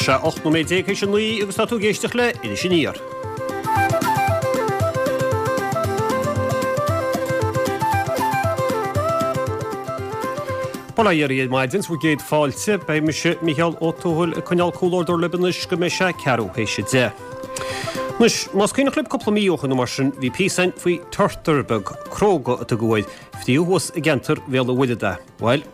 sé 18 nóiméad théis a 9 agus tá tú ag éisteacht le Iris Aniar. Bail ó Dhia oraibh ar maidin, 's bhur gcéad fáilte. Beidh mise, Mícheál Ó Tuathail, ag coinneáil comhluadar libh anois go mbeidh sé ceathrú théis a 10. Anois, más cuimhneach libh cúpla mí ó shoin nó mar sin, bhí píosa againn faoi turtar beag cróga a tugadh air, fríothadh thuas i gceantar Bhéal an Mhuirthead é. Bhuel,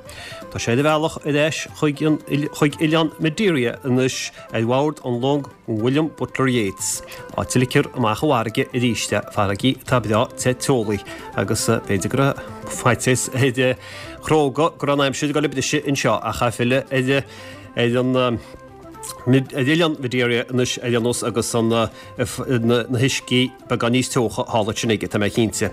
tá sé ar a bhealach ar ais chuig an chuig oileán Madeira anois ar bhord an long William Butler Yeats, áit a ligfear amach i bhfarraige arís é, farraigí atá breá te teolaí agus b'fhéidir go raibh faitíos ar Chróga go raibh an aimsir ag dul ag briseadh anseo ach é ag filleadh ar ar an ar oileán Mhadeira anois ar aon nós agus an na huiscí beagán níos teocha thall ansin aige, tá mé cinnte.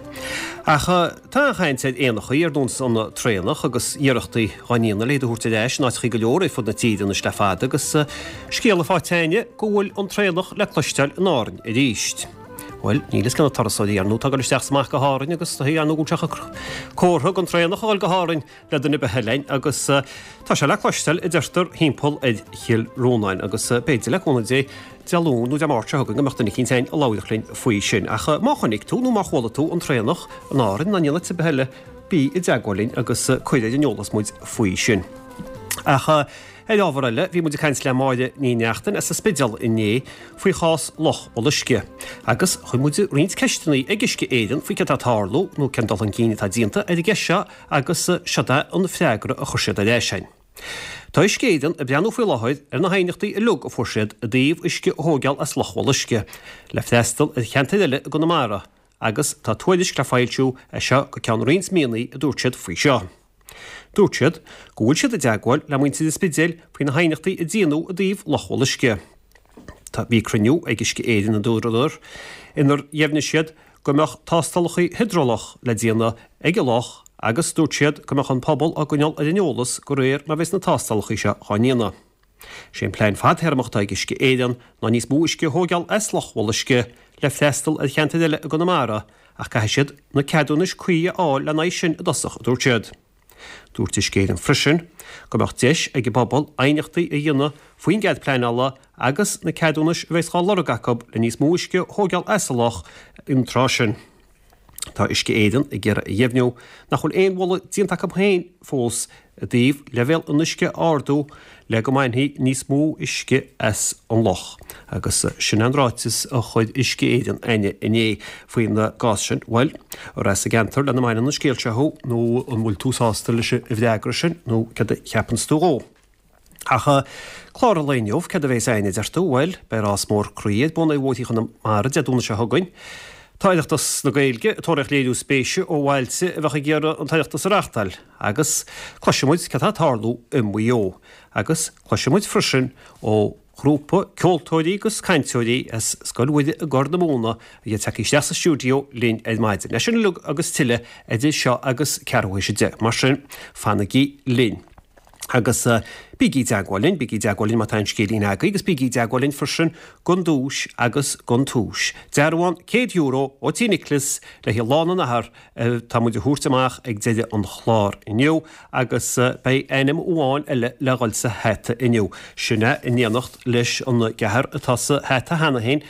Ach tá an-chaint ar éanachaí ar nós an traonach agus iarrachtaí dhá ndéanamh le iad a thabhairt ar ais in áiteachaí go leor ar fud na tíre anois le fada agus scéala faighte againne go bhfuil an traonach le cloisteáil in Árainn arís. Bhuel, níl fhios cé na turasóirí ar ndóigh atá ag dul isteach is amach go hÁrainn agus ar ndóigh go bhfuil sé comhartha don traonach a dhul go hÁrainn le duine ar bith eile agus tá sé le cloisteáil a deirtear thimpeall ar Chill Rónáin agus b'fhéidir le cúnamh Dé Dé Luain nó Dé Máirt seo chugainn go mbeadh duine eicínt againn a labharfadh linn faoi sin. Ach má chonaic tú nó má chuala tú an traonach in Árainn nó in aon áit ar bith eile bí i dteagmháil linn agus cuir ar an eolas muid faoi sin. Ach ar ábhar eile, bhí muid ag caint le Máire Ní Neachtain as an Spidéal inné faoi chás Loch Bholuisce. Agus chuir muid roinnt ceisteanna ag Uisce Éireann faoi céard atá ag tarlú nó cén dul chun cinn atá déanta ar an gceist seo agus seod é an freagra a chuir siad ar ais againn. Tá Uisce Éireann ag breathnú faoi láthair ar na haighneachtaí uilig a fuair siad i dtaobh uisce a thóigeáil as Loch Bholuisce le freastal ar cheantair eile i gConamara agus tá tuairisc le foilsiú as seo go ceann roinnt míonna a dúirt siad faoi seo. Dúirt siad go bhfuil siad i dteagmháil le muintir an Spidéil faoi na haighneachtaí a déanadh i dtaobh Loch Bholuisce. Tá bhí cruinniú ag Uisce Éireann a dúradar inar dheimhnigh siad go mbeadh tástálacha hiodrálach le déanamh ag an loch agus dúirt siad go mbeadh an pobal á gcoinneáil ar an eolas de réir mar a bheas na tástálacha seo dhá ndéanamh. Sé an plean fadthéarmach atá ag Uisce Éireann ná níos mó uisce a thóigeáil as Loch Bholuisce le freastal ar cheantair eile i gConamara ach caithfidh siad na ceadúnais cuí a fháil lena aghaidh sin i dtosach, a dúirt siad. Dúirt Uisce Éireann freisin go mbeadh deis ag an bpobal aighneachtaí a dhéanamh faoin gcead pleanála agus na ceadúnais a bheas dhá lorg acu le níos mó uisce a thóigeáil as an loch an tráth sin. Tá Uisce Éireann ag iarraidh a dheimhniú nach bhfuil aon mholadh déanta acu féin fós i dtaobh leibhéal an uisce a ardú le go mbainfí níos mó uisce as an loch. Agus sin an ráiteas a chuir Uisce Éireann againne inné faoin gcás sin. Bhuel, ar as an gceantar lena mbaineann an scéal seo thú nó an bhfuil tú sásta leis an bhfreagra sin nó céard a cheapanns tú dhó? Ach clár an lae inniu, céard a bheas againn a deir tú? Bhuel, beidh rás mór croí ar bun ar bhóithrí Chonamara Dé Domhnaigh seo chugainn. Tá Oireachtas na Gaeilge ag tóraíocht léiriú spéise ó bhailte a bheadh ag iarraidh an tOireachtas a reáchtáil agus cloisfidh muid céard atá ag tarlú i Maigh Eo. Agus cloisfidh muid freisin ó ghrúpa ceoltóirí agus cainteoirí as Scoil Mhuire i gCorr na Móna a bheidh tagtha isteach sa stiúideo linn ar maidin. É sin uilig agus tuilleadh idir seo agus ceathrú théis 10. Mar sin, fanaigí linn. Agus bígí i dteagmháil linn, bígí i dteagmháil linn má tá aon scéilín agaibh agus bígí i dteagmháil linn freisin don duais agus don túis. Dearbhán €100 ó Tí Nicholas le haghaidh Lá na nAthar atá muid a thabhairt amach ag deireadh an chláir inniu agus beidh ainm amháin eile le dhul sa hata inniu. Sin é in éineacht leis an gceathrar atá sa hata cheana féin,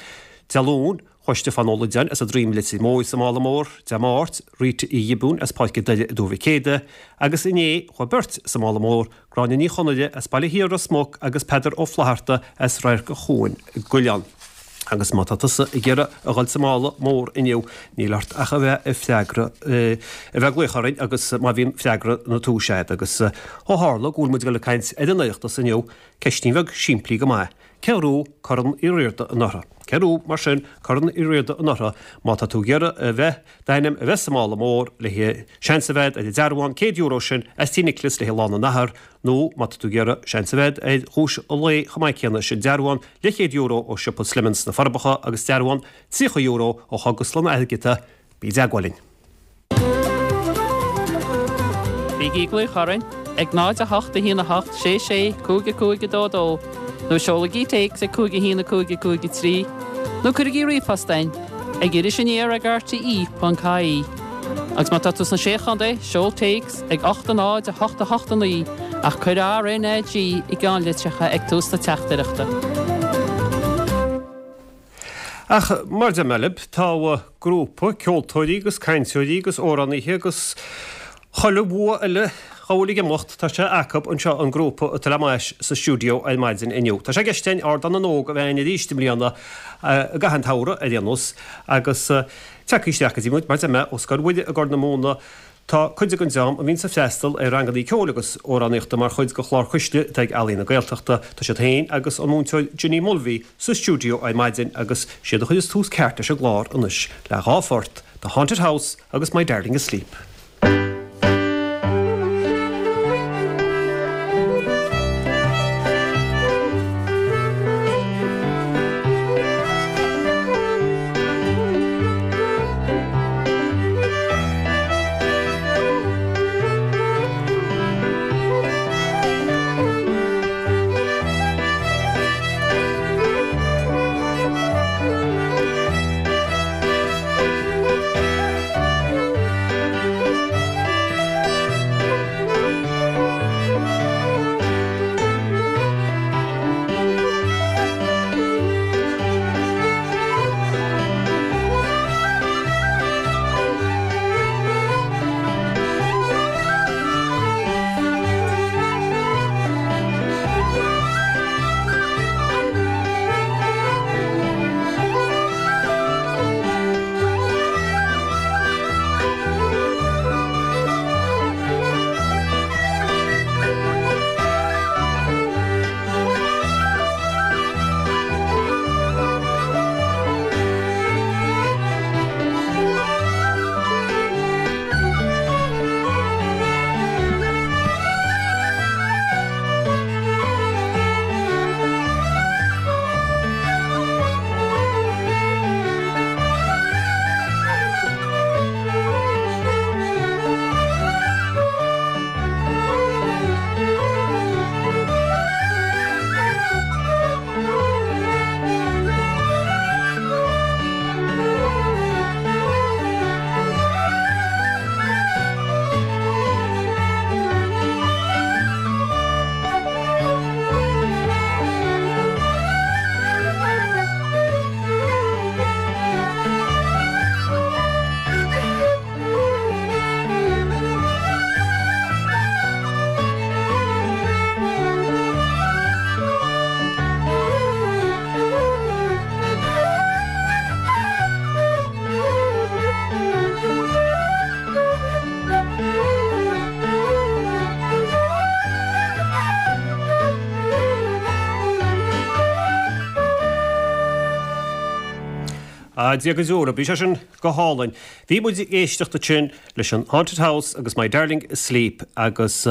Dé Luain, Chuaigh Stiofán Ó Loideáin as an Droim Leitir Móir sa Mála Mór, Dé Máirt, Rita Uí Ghiobúin as Páirc an Doire i dTuar Mhic Éadaigh, agus inné, chuaigh beirt sa Mála Mór, Gráinne Ní Chonaire as Baile Thiar Ros Muc agus Peadar Ó Flatharta as Radharc an Chuain i gCuilleán. Agus má tá tusa ag iarraidh a dhul sa mála mór inniu, níl ort ach a bheith ag freagra, a bheith ag glaoch orainn agus má bhíonn freagra na tomhaise agat. Agus ó tharla go bhfuil muid ag dul ag caint ar an Oireachtas inniu, ceistín bheag simplí go maith. Cé a ghnóthaigh Corn Uí Riada anuraidh? Cé a ghnóthaigh, mar sin, Corn Uí Riada anuraidh? Má tá tú ag iarraidh a bheith, d'ainm a bheith sa mála mór le haghaidh seans a bheith ar an dearbhán €100 sin as Tí Nicholas le haghaidh Lá na nAthar nó má tá tú ag iarraidh seans a bheith ar dhuais an lae chomh maith céanna, sin dearbhán leathchéad euro ó siopa Slemons sna Forbacha agus dearbhán €30 ó Chógaslann Athghiota, bí i dteagmháil linn. Bígí ag glaoch orainn ag 0 8 1 8 6 6 5 5 2 2 nó seolaigí téacs ag 5 1 5 5 3 nó cuirigí ríomhphost chugainn ag irisaniar ag rte.ie. Agus má tá tú sna Sé Chontae, seol téacs ag 8 0 8 8 9 ach cuir RNAG i gceannlitreacha ag tús na teachtaireachta. Ach mar a deir mé libh, tá grúpa ceoltóirí agus cainteoirí agus amhránaithe agus chuile bhua eile dhá bhfuil ag imeacht, tá sé acub anseo, an grúpa atá le m'ais sa stiúideo ar maidin inniu. Tá sé i gceist againn Ardán na nÓg a bheith againn arís i mbliana, i gcaitheamh an tsamhraidh ar aon nós, agus tagtha isteach go dtí muid, mar a deir mé, ó Scoil Mhuire i gCorr na Móna, Tá cuid den dream a bhíonns ag freastal ar rangannaí ceoil agus amhránaíochta mar chuid de chlár Cuisle atá ag Ealaín na Gaeltachta. Tá siad féin agus an múinteoir Ginny Mulvey sa stiúideo ar maidin agus siad a chuireas tús ceart leis an gclár anois le dhá phort, The Haunted House agus My Darling Asleep. Ah, Dia go deo, bhí sé sin go hálainn. Bhí muid ag éisteacht ansin leis an Haunted House agus My Darling Asleep agus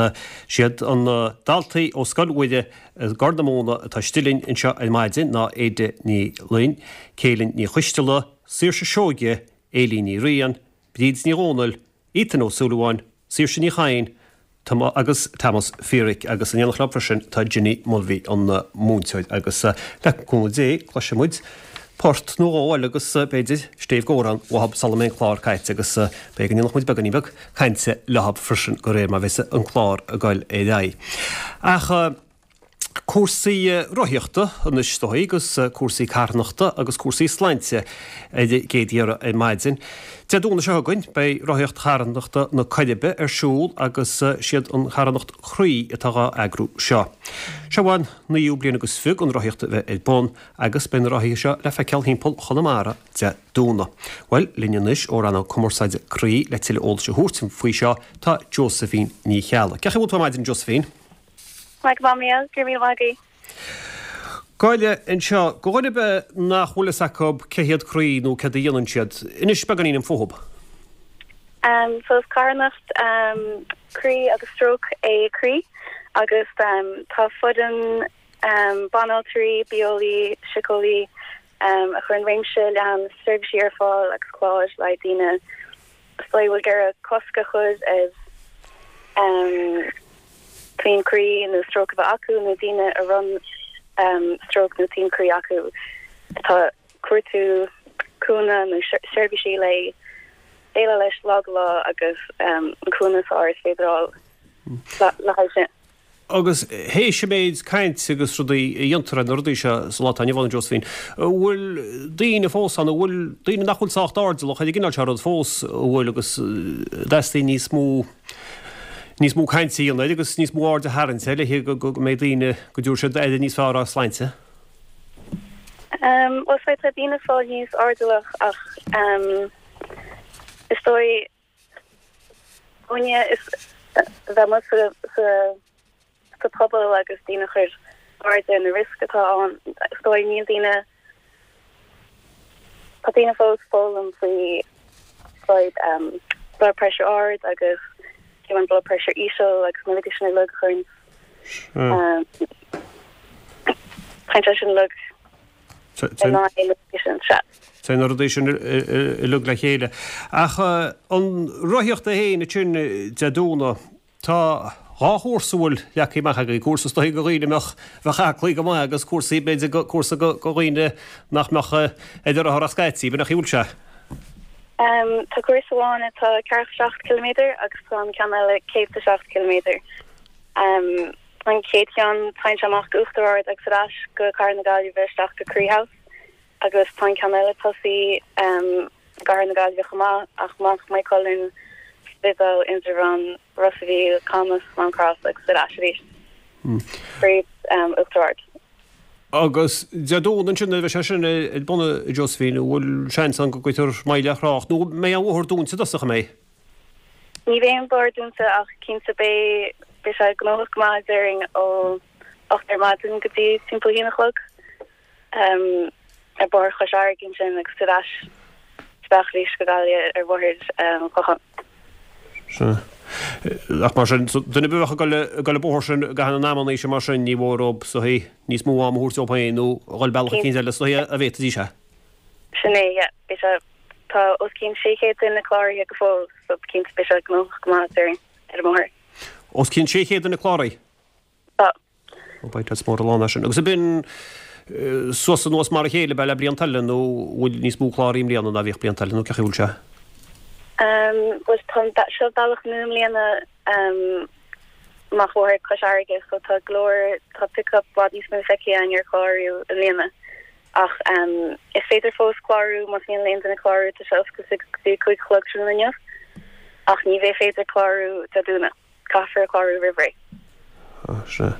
siad an daltaí ó Scoil Mhuire i gCorr na Móna atá istigh linn anseo ar maidin ná Ada Ní Fhloinn, Céilin Ní Choisteala, Saoirse Seoige, Éilín Ní Riain, Bríd Ní Dhomhnaill, Ethan Ó Súilleabháin, Saoirse Ní Chadhain, agus Tomás Feerick agus in éineacht leo freisin tá Ginny Mulvey an múinteoir agus le cúnamh Dé cloisfidh muid port nó dhó eile agus b'fhéidir stéibh d'amhrán uathab sula mbeidh an clár caite agus beidh go ndéanfaidh muid beagáinín beag cainte leothab freisin de réir mar bheas an clár ag goil ar aghaidh. Ach cúrsaí rothaíochta anois is dóigh agus cúrsaí carthanachta agus cúrsaí sláinte ar an gcéad iarraidh ar maidin. Dé Domhnaigh seo chugainn beidh rothaíocht charthanachta na Coiribe ar siúl agus siad an charthanacht Croí atá dhá eagrú seo. Seo an naoú bliain agus fiche don rothaíocht a bheith ar bun agus beidh na rothaithe seo le feiceáil thimpeall Chonamara Dé Domhnaigh. Bhuel, linn anois ó rannóg cumarsáide Croí le tuilleadh eolais a thabhairt faoi seo tá Josephine Ní Cheallaigh. Cén chaoi a bhfuil tú ar maidin Josephine? Maith go maith, Mícheál. Go raibh míle maith agat. Gabh i leith anseo, do dhuine ar bith nach bhfuil fhios acu cé hiad Croí nó céard a dhéanann siad, inis beagáinín fúthub. So is carthanacht croí agus stróc é Croí agus tá foireann banaltraí, bitheolaí, síceolaí a chuireann réimse leathan seirbhísí ar fáil agus cláir le haghaidh daoine is dóigh a bhfuil ag iarraidh cosc a chur ar taom croí nó stróc a bheith acu nó daoine a raibh stróc nó taom croí acu atá ag cuartú cúnamh nó seirbhísí le. déileáil leis lá go lá agus an cúnamh is fearr is féidir a fháil le haghaidh sin. Agus théis an méid cainte agus rudaí a dhéantar ar na rudaí seo sa lá atá inniu ann, a Josephine, an bhfuil daoine fós ann, an bhfuil daoine nach bhfuil sách airdeallach ar an gcineál seo rud fós, an bhfuil, agus an dteastaíonn níos mó, níos mó cainte a dhéanamh air agus níos mó aird a tharraingt air le go mbeidh daoine, go dtabharfaidh siad aire níos fearr dá sláinte? Bhuel, is dóigh tá daoine ag fáil níos airdeallach ach is dóigh, Dúinne is bheith amuigh sa sa pobal agus daoine a chur aird ar na rioscaí atá ann. Is dóigh níl daoine, tá daoine fós ag foghlaim faoi fadhb blood pressure ard agus fiú an blood pressure íseal agus na rudaí sin uilig a chuireann Téann sé sin uilig. Téann na rudaí sin uilig le chéile. Ach an rothaíocht é féin ansin Dé Domhnaigh, tá dhá chúrsa a bhfuil leagtha amach agaibh, cúrsa is dóigh do dhaoine a mbeadh, bheadh aclaí go maith agus cúrsaí, b'fhéidir, cúrsa do dhaoine nach mbeadh ar an rothar ach scaití, b'in an chaoi a bhfuil sé? Tá cúrsa amháin atá ceathracha 7 ciliméadar agus tá an ceann eile 107 ciliméadar. An chéad cheann, téann sé amach go Uachtar Ard agus ar ais go Cathair na Gaillimhe isteach go Croí House agus tá an ceann eile ag tosaí i gCathair na Gaillimhe chomh maith ach amach Maigh Cuilinn, Spidéal, Indreabhán, Ros a' Mhíl, Camas, Mám Cross agus ar ais arís fríd Uachtar Ard. Agus Dé Domhnaigh ansin nuair a bheidh sé sin ar bun a Josephine, an bhfuil seans ann go gcuirfear moill ar thrácht nó an mbeidh an bóthar dúnta i dtosach, an mbeidh? Ní bheidh an bóthar dúnta ach cinnte beidh beidh sé gnóthach go maith déarfainn ó 8 ar maidin go dtí timpeall 1 a chlog ar Bhóthar Chois Fharraige ansin agus ar ais isteach arís go Gaillimh ar Bhóthar an Chlocháin. Sea. Ach mar sin, duine ar bith a bheadh ag dul ag dul an bóthar sin i gcaitheamh na n-amanna sin mar sin, ní mhór dóibh is dóichí níos mó ama a thabhairt dóibh féin nó a dhul bealach eicínt eile is dóichí a bhféadfaidís é. Sin é, yeah. Beidh sé, tá os cionn 600 duine cláraithe go fóill, so cinnte beidh sé gnóthach go maith déarfainn, ar an mbóthar. Os cionn 600 duine cláraithe? Tá. Ó beidh tuts mór an lá ná sin. Agus ab in suas anuas mar a chéile ab ea le blianta eile nó bhfuil níos mó cláraithe i mbliana ná bhíodh blianta eile nó cén chaoi a bhfuil sé? Bhuel tá, seo bealach nua i mbliana amach Bóthar Cois Fharraige so tá go leor, tá pick-up i bhfad níos mó feicthe againn ar chlárú i mbliana. Ach is féidir fós clárú más mian le aon duine clárú, tá sé oscailte go dtí a 5 a chlog tráthnóna inniu. Ach ní bheidh féidir clárú Dé Domhnaigh, caithfear clárú roimh ré. Sea.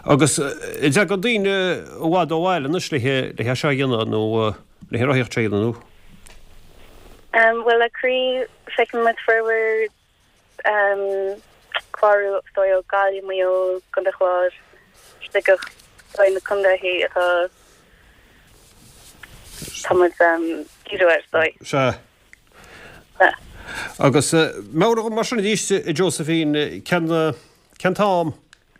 Agus an dtagann daoine i bhfad ó bhaile anois le é seo a dhéanamh nó le an rothaíocht seo a dhéanamh nó? Bhuel le Croí feiceann muid formhór Clárú is dóigh ó Gaillimh, Maigh Eo, Contae an Chláir, Sligeach, is dóigh na contaethaí atá tá muid díriú air is dóigh. Sea. Agus meabhraigh dom mar sin arís a Josephine, cén cén t-am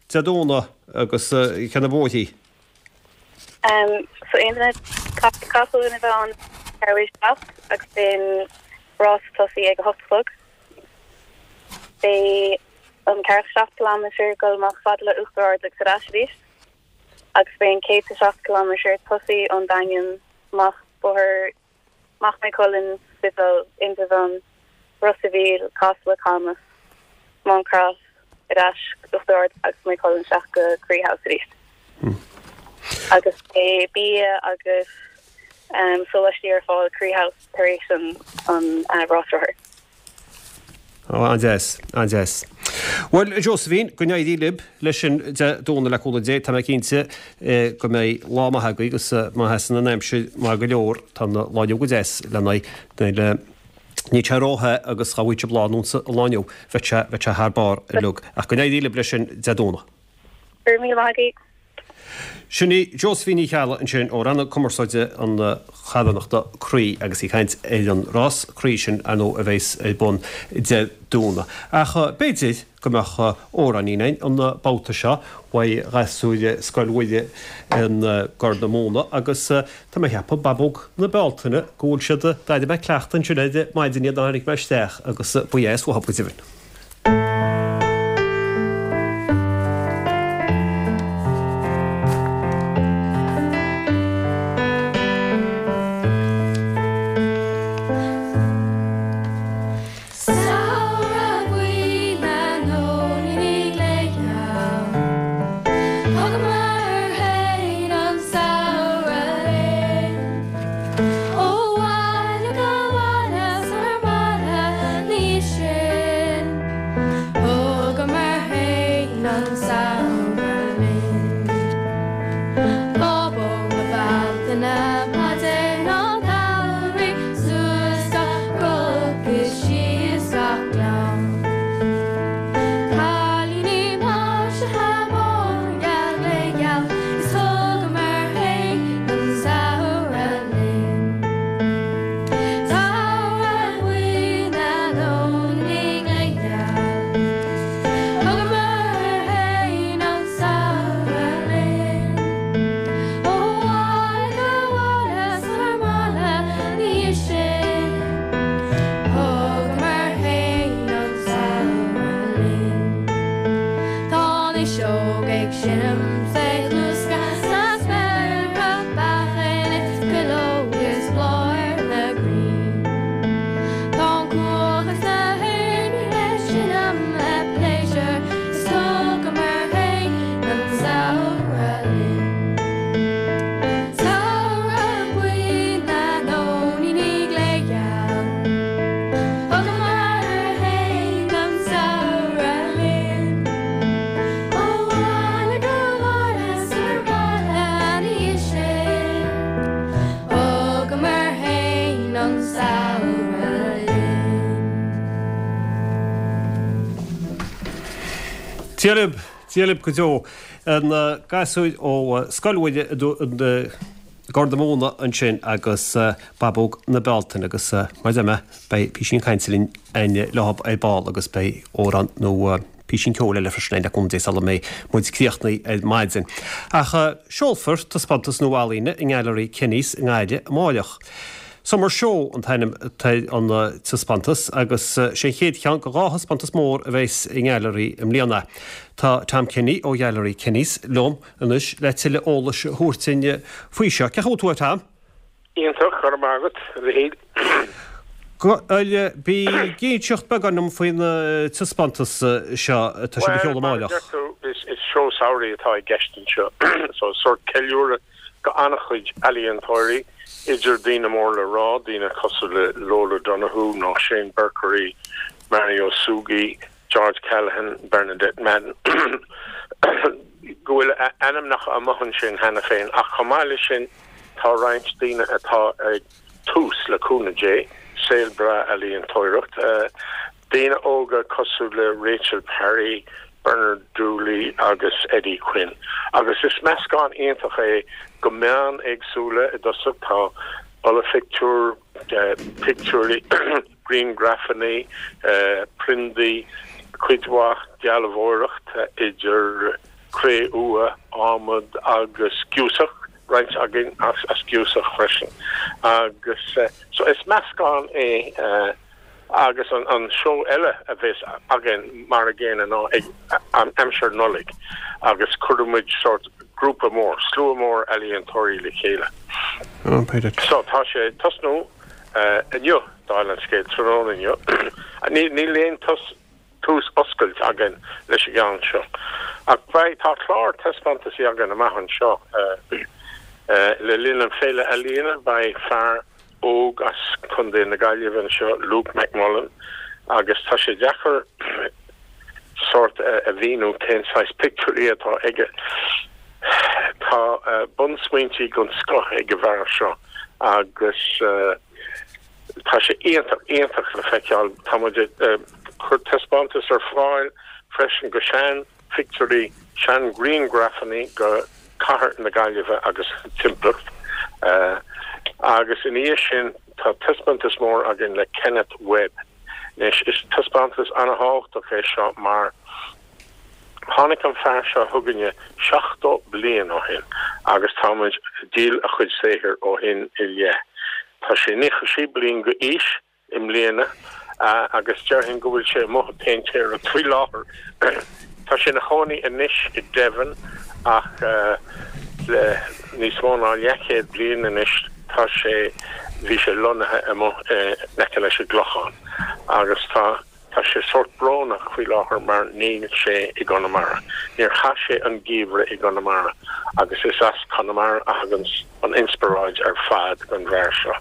Dé Domhnaigh agus cé na bóithrí? So aon duine, caithfidh gach duine a bheith ann ceathrú théis 7 agus beidh an rás ag tosaí ag a 8 a chlog. Beidh an 47 kilometre ag dul amach fad le Uachtar Ard agus ar ais arís agus beidh an 107 kilometre ag tosaí ón Daingean amach bóthar amach Maigh Cuilinn, Spidéal, Indreabhán, Ros a' Mhíl, Casla, Camas, Mám Cross, ar ais go Uachtar Ard agus Maigh Cuilinn isteach go Croí House arís. Agus beidh bia agus sóláistí ar fáil Croí House tar éis an rás rothar. Ó, an-deas, an-deas. Bhuel, a Josephine, go n-éirí libh leis sin Dé Domhnaigh le cúnamh Dé. Tá mé cinnte go mbeidh lá maith agaibh agus má sheasann an aimsir maith go leor, tá an lá inniu go deas lena aghaidh. Níl sé róthe agus dá bhfaigheadh sibh lá ar nós an lae inniu, bheadh sé, bheadh sé thar barr uilig. Ach go n-éirí libh leis sin Dé Domhnaigh. Go raibh míle maith agaibh. Sin í Josephine Ní Cheallaigh ansin ó Rannóg Cumarsáide na Carthanachta Croí agus í ag caint ar an rás croí sin, ar ndóigh, a bheas ar bun Dé Domhnaigh. Ach b'fhéidir go mbeadh amhráinín againn an babhta seo uaidh ghasúir Scoil Mhuire i gCorr na Móna agus tá mé a cheapadh, Babóg na Bealtaine, go bhfuil siad, d'airigh mé cleachtadh ansin ar maidin iad nuair a tháinig mé isteach agus ba dheas uathu go deimhin. Fuiseog ag seinm 's ag luascadh sna spéartha beacha is cuileog is bláth ar na crainn. Tá an cuach is na héin ag seinm le pléisiúr is thugamar féin an samhradh linn. Samhradh buí na nóiníní glégheal. Thugamar féin an samhradh linn. Ó bhaile go baile 's abhaile ina dhiaidh sin. Thugamar féin an samhradh linn. Dia libh, Dia libh go deo. Na gasúir ó Scoil Mhuire i Gort na Móna ansin agus Babóg na Bealtaine agus mar a deir mé beidh písín cainte linn againn leo ar ball agus beidh amhrán nó písín ceoil eile freisin againn le cúnamh Dé sula mbeidh muid críochnaithe ar maidin. Ach seolfar taispeántas nua ealaíne i nGailearaí Kenny's i nGaillimh amáireach. Summer Show an t-ainm atá ar an taispeántas agus sé an chéad cheann de dhá thaispeántas mór a bheas i nGailearaí i mbliana. Tá Tom Kenny ó Ghailearaí Kenny's liom anois le tuilleadh eolais a thabhairt dúinn faoi seo. Cén chaoi a bhfuil tú, a Tom? Iontach, go raibh maith agat, a Mhichíl. Bhuel, bí ag inseacht beagán dom faoin taispeántas seo atá sibh a sheoladh Bhuel, mar a amáireach. deir tú, is seó samhraidh atá i gceist anseo. So, sórt ceiliúradh go an-chuid ealaíontóirí, idir daoine mór le rá, daoine cosúil le Lola Donoghue nó Shane Berkery, Mario Sughi, George Callaghan, Bernadette Madden, go bhfuil a ainmneacha amuigh ansin cheana féin ach chomh maith leis sin tá roinnt daoine atá ag tús, le cúnamh Dé, saol breá ealaíontóireacht. Daoine óga cosúil le Rachel Parry, Bernard Dooley agus Eddie Quinn. Agus is meascán iontach é go meáin éagsúla i dtosach, tá olaphictiúir, pictiúirí, grianghrafanna, priondaí, cuid mhaith dealbhóireacht idir cré-umha, adhmad agus giúsach, roinnt againn as giúsach freisin. Agus so is meascán é agus an seó eile a bheas againn mar a gcéanna ná ag aimsir Nollaig agus cuirfidh muid sórt grúpa mór, slua mór ealaíontóirí le chéile. So tá sé ag tosnú inniu, dála an scéil, tráthnóna inniu. Níl aon tús oscailt againn leis an gceann seo. Ach beidh, tá clár taispeántaisí againn amach anseo. Le linn an Féile Ealaíona beidh fear óg as Contae na Gaillimhe anseo, Luke McMullen, agus tá sé deacair sórt a mhíniú cén saghas pictiúirí atá aige. Tá bunsmaointí den scoth ag an bhfear seo agus tá sé iontach, iontach le feiceáil. Tá muid ag cur taispeántas ar fáil freisin go sean phictiúirí, sean ghrianghrafanna go cathair na Gaillimhe agus a timpeallacht. Agus ina dhiaidh sin tá taispeántas mór againn le Kenneth Webb. Anois is taispeántas ana-thábhachtach é seo mar Tháinig an fear seo chugainne 70 bliain ó shin agus tá muid ag díol a chuid saothair ó shin i leith. Tá sé 96 bliain go aois i mbliana agus déarfainn go bhfuil sé amuigh ag péintéireacht faoi láthair. Tá sé ina chónaí anois i Devon ach le níos mó ná leathchéad bliain anois tá sé, bhí sé lonnaithe amuigh in aice leis an gClochán agus tá. Tá sé sórt brónach faoi láthair mar níl sé i gConamara. Níor chaith sé an geimhreadh i gConamara agus is as Conamara a thaganns an inspioráid ar fad don bhfear seo.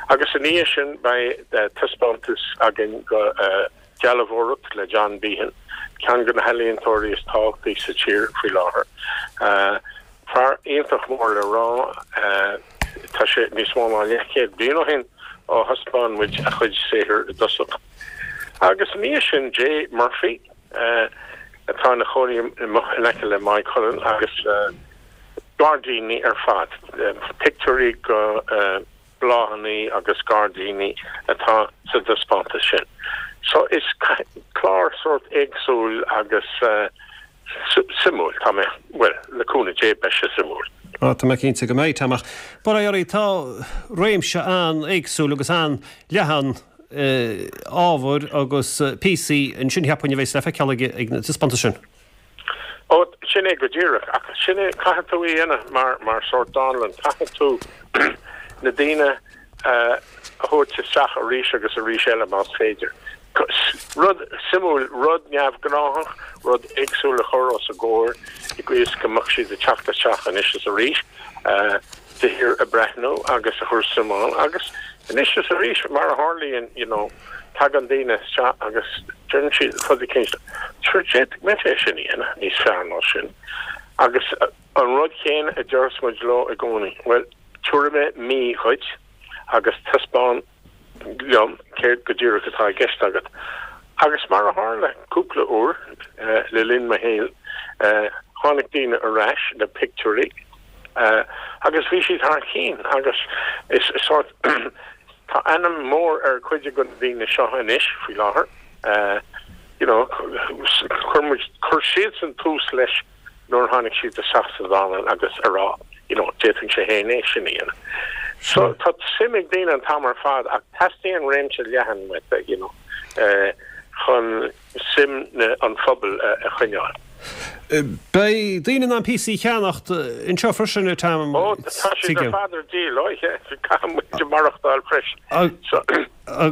Agus ina dhiaidh sin beidh taispeántas againn go dealbhóireacht le John Behan, ceann de na healaíontóirí is tábhachtaí sa tír faoi láthair. Fear iontach mór le rá. Tá sé níos mó ná leathchéad bliain ó shin ó thaispeáin muid a chuid saothair i dtosach. Agus ina dhiaidh sin Jay Murphy, atá ina chónaí in aice le Maigh Cuilinn agus gairdíní ar fad, pictiúirí go bláthanna agus gairdíní atá sa dtaispeántas sin. So is clár sórt éagsúil agus suimiúil, tá mé, bhuel, le cúnamh Dé beidh sé suimiúil. Á, tá mé cinnte go mbeidh, Tom, ach bail ó Dhia oraibh, tá réimse an-éagsúil agus an-leathan ábhair agus píosaí ansin, cheapfainn, a bheas le feiceáil ag na taispeántais sin. sin é go díreach, ach sin é, caithfidh tú é a dhéanamh mar, mar sórt dánlann, caithfidh tú na daoine a thabhairt isteach arís agus arís eile más féidir. Rud suimiúil, rud neamhghnáthach, rud éagsúil a chur os a gcomhair i gcaoi is go mbeadh siad ag teacht isteach anois is arís, de shíor ag breathnú agus a chur suim ann agus anois is arís, mar a tharlaíonn, you know, tagann daoine isteach agus deireann siad rud eicínt, sure d'fhéadfadh mise é sin a dhéanamh níos fearr ná sin. Agus an rud chéanna a deireas muid leo i gcónaí, bhuel, tabharfaidh mé mí dhuit agus taispeáin liom céard go díreach atá i gceist agat. Agus mar a tharla cúpla uair le linn mo shaoil, tháinig daoine ar ais le pictiúirí agus bhí siad thar cinn agus is sórt, tá ainm mór ar chuid de na daoine seo anois faoi láthair, you know, chuir muid, chuir siadsan tús leis nuair a tháinig siad isteach sa dánlann agus a rá you know d'fhéadfainnse féin é sin a dhéanamh. So tá suim ag daoine an t-am ar fad ach teastaíonn réimse leathan uait you know chun suim na an phobail a choinneáil. Beidh daoine in ann píosaí a cheannacht anseo freisin Tom. Ó tá siad ar fad ar díol, ó yeah, caithfidh muid maireachtáil freisin. So.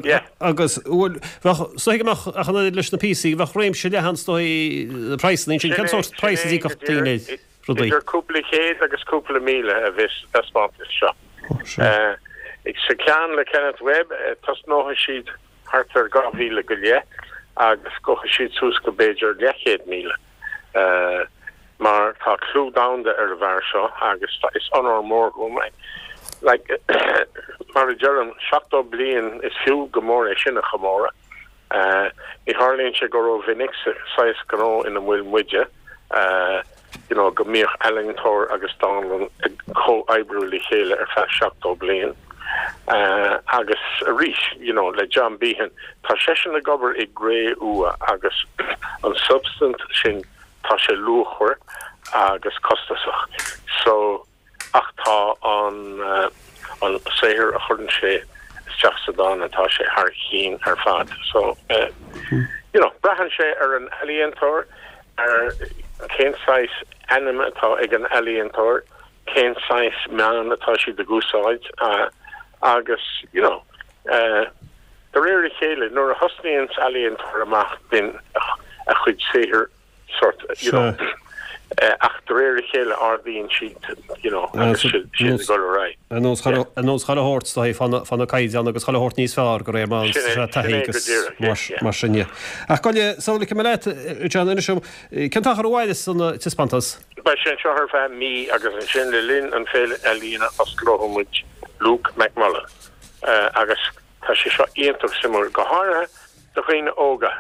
Yeah. Agus, bhuel, bheadh, is dóigh go mbeadh, ach an oiread leis na píosaí, bheadh réimse leathan is dóigh praghsanna ansin. Cén sórt praghas a d'íocfadh daoine ar rudaí? Idir cúpla céad agus cúpla 1,000 a bheas sa taispeántas seo. Sa cheann le Kenneth Webb, tosnóidh siad thart ar 2,000 go leith agus gabhfaidh siad suas go b'fhéidir leathchéad míle. Mar tá clú domhanda ar an bhfear seo agus is onóir mór dhom é. Like, mar a deirim, 70 bliain, is fiú go mór é sin a chomóradh. Ní tharlaíonn sé go rómhinic sa saghas gnó ina bhfuil muide, you know, go mbíodh ealaíontóir agus dánlann ag comhoibriú le chéile ar feadh 70 bliain. Agus arís, you know, le John Behan, tá seisean ag obair i gcré-umha agus an substaint sin, tá sé luachmhar agus costasach. So, ach tá an, an saothar a chuireann sé isteach sa dánlann, tá sé thar chinn ar fad. So, you know, braitheann sé ar an ealaíontóir, ar cén saghas ainm atá ag an ealaíontóir, cén saghas meán atá siad ag úsáid agus, you know, de réir a chéile, nuair a thosnaíonn ealaíontóir amach bíonn a chuid saothair sort, you know, ach de réir a chéile ardaíonn siad, you know, agus siad ag dul ar aghaidh. Ar nós chuile shórt, is dóigh, fá na caighdeáin agus chuile shórt níos fearr de réir mar a taithí agus mar sin de. Ach gabh i leith, sula ligfidh mé leat, John, inis dom, cén t-achar a mhairfeas an taispeántas? Beidh sé anseo ar feadh mí agus ansin le linn an Féile Ealaíona osclóidh muid Luke McMullen agus tá sé seo iontach suimiúil, go háirithe do dhaoine óga.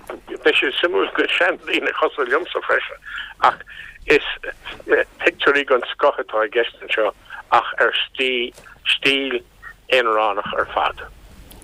Beidh sé suimiúil do seandaoine cosúil liomsa freisin ach is pictiúirí den scoth atá i gceist anseo ach ar stíl aonaránach ar fad.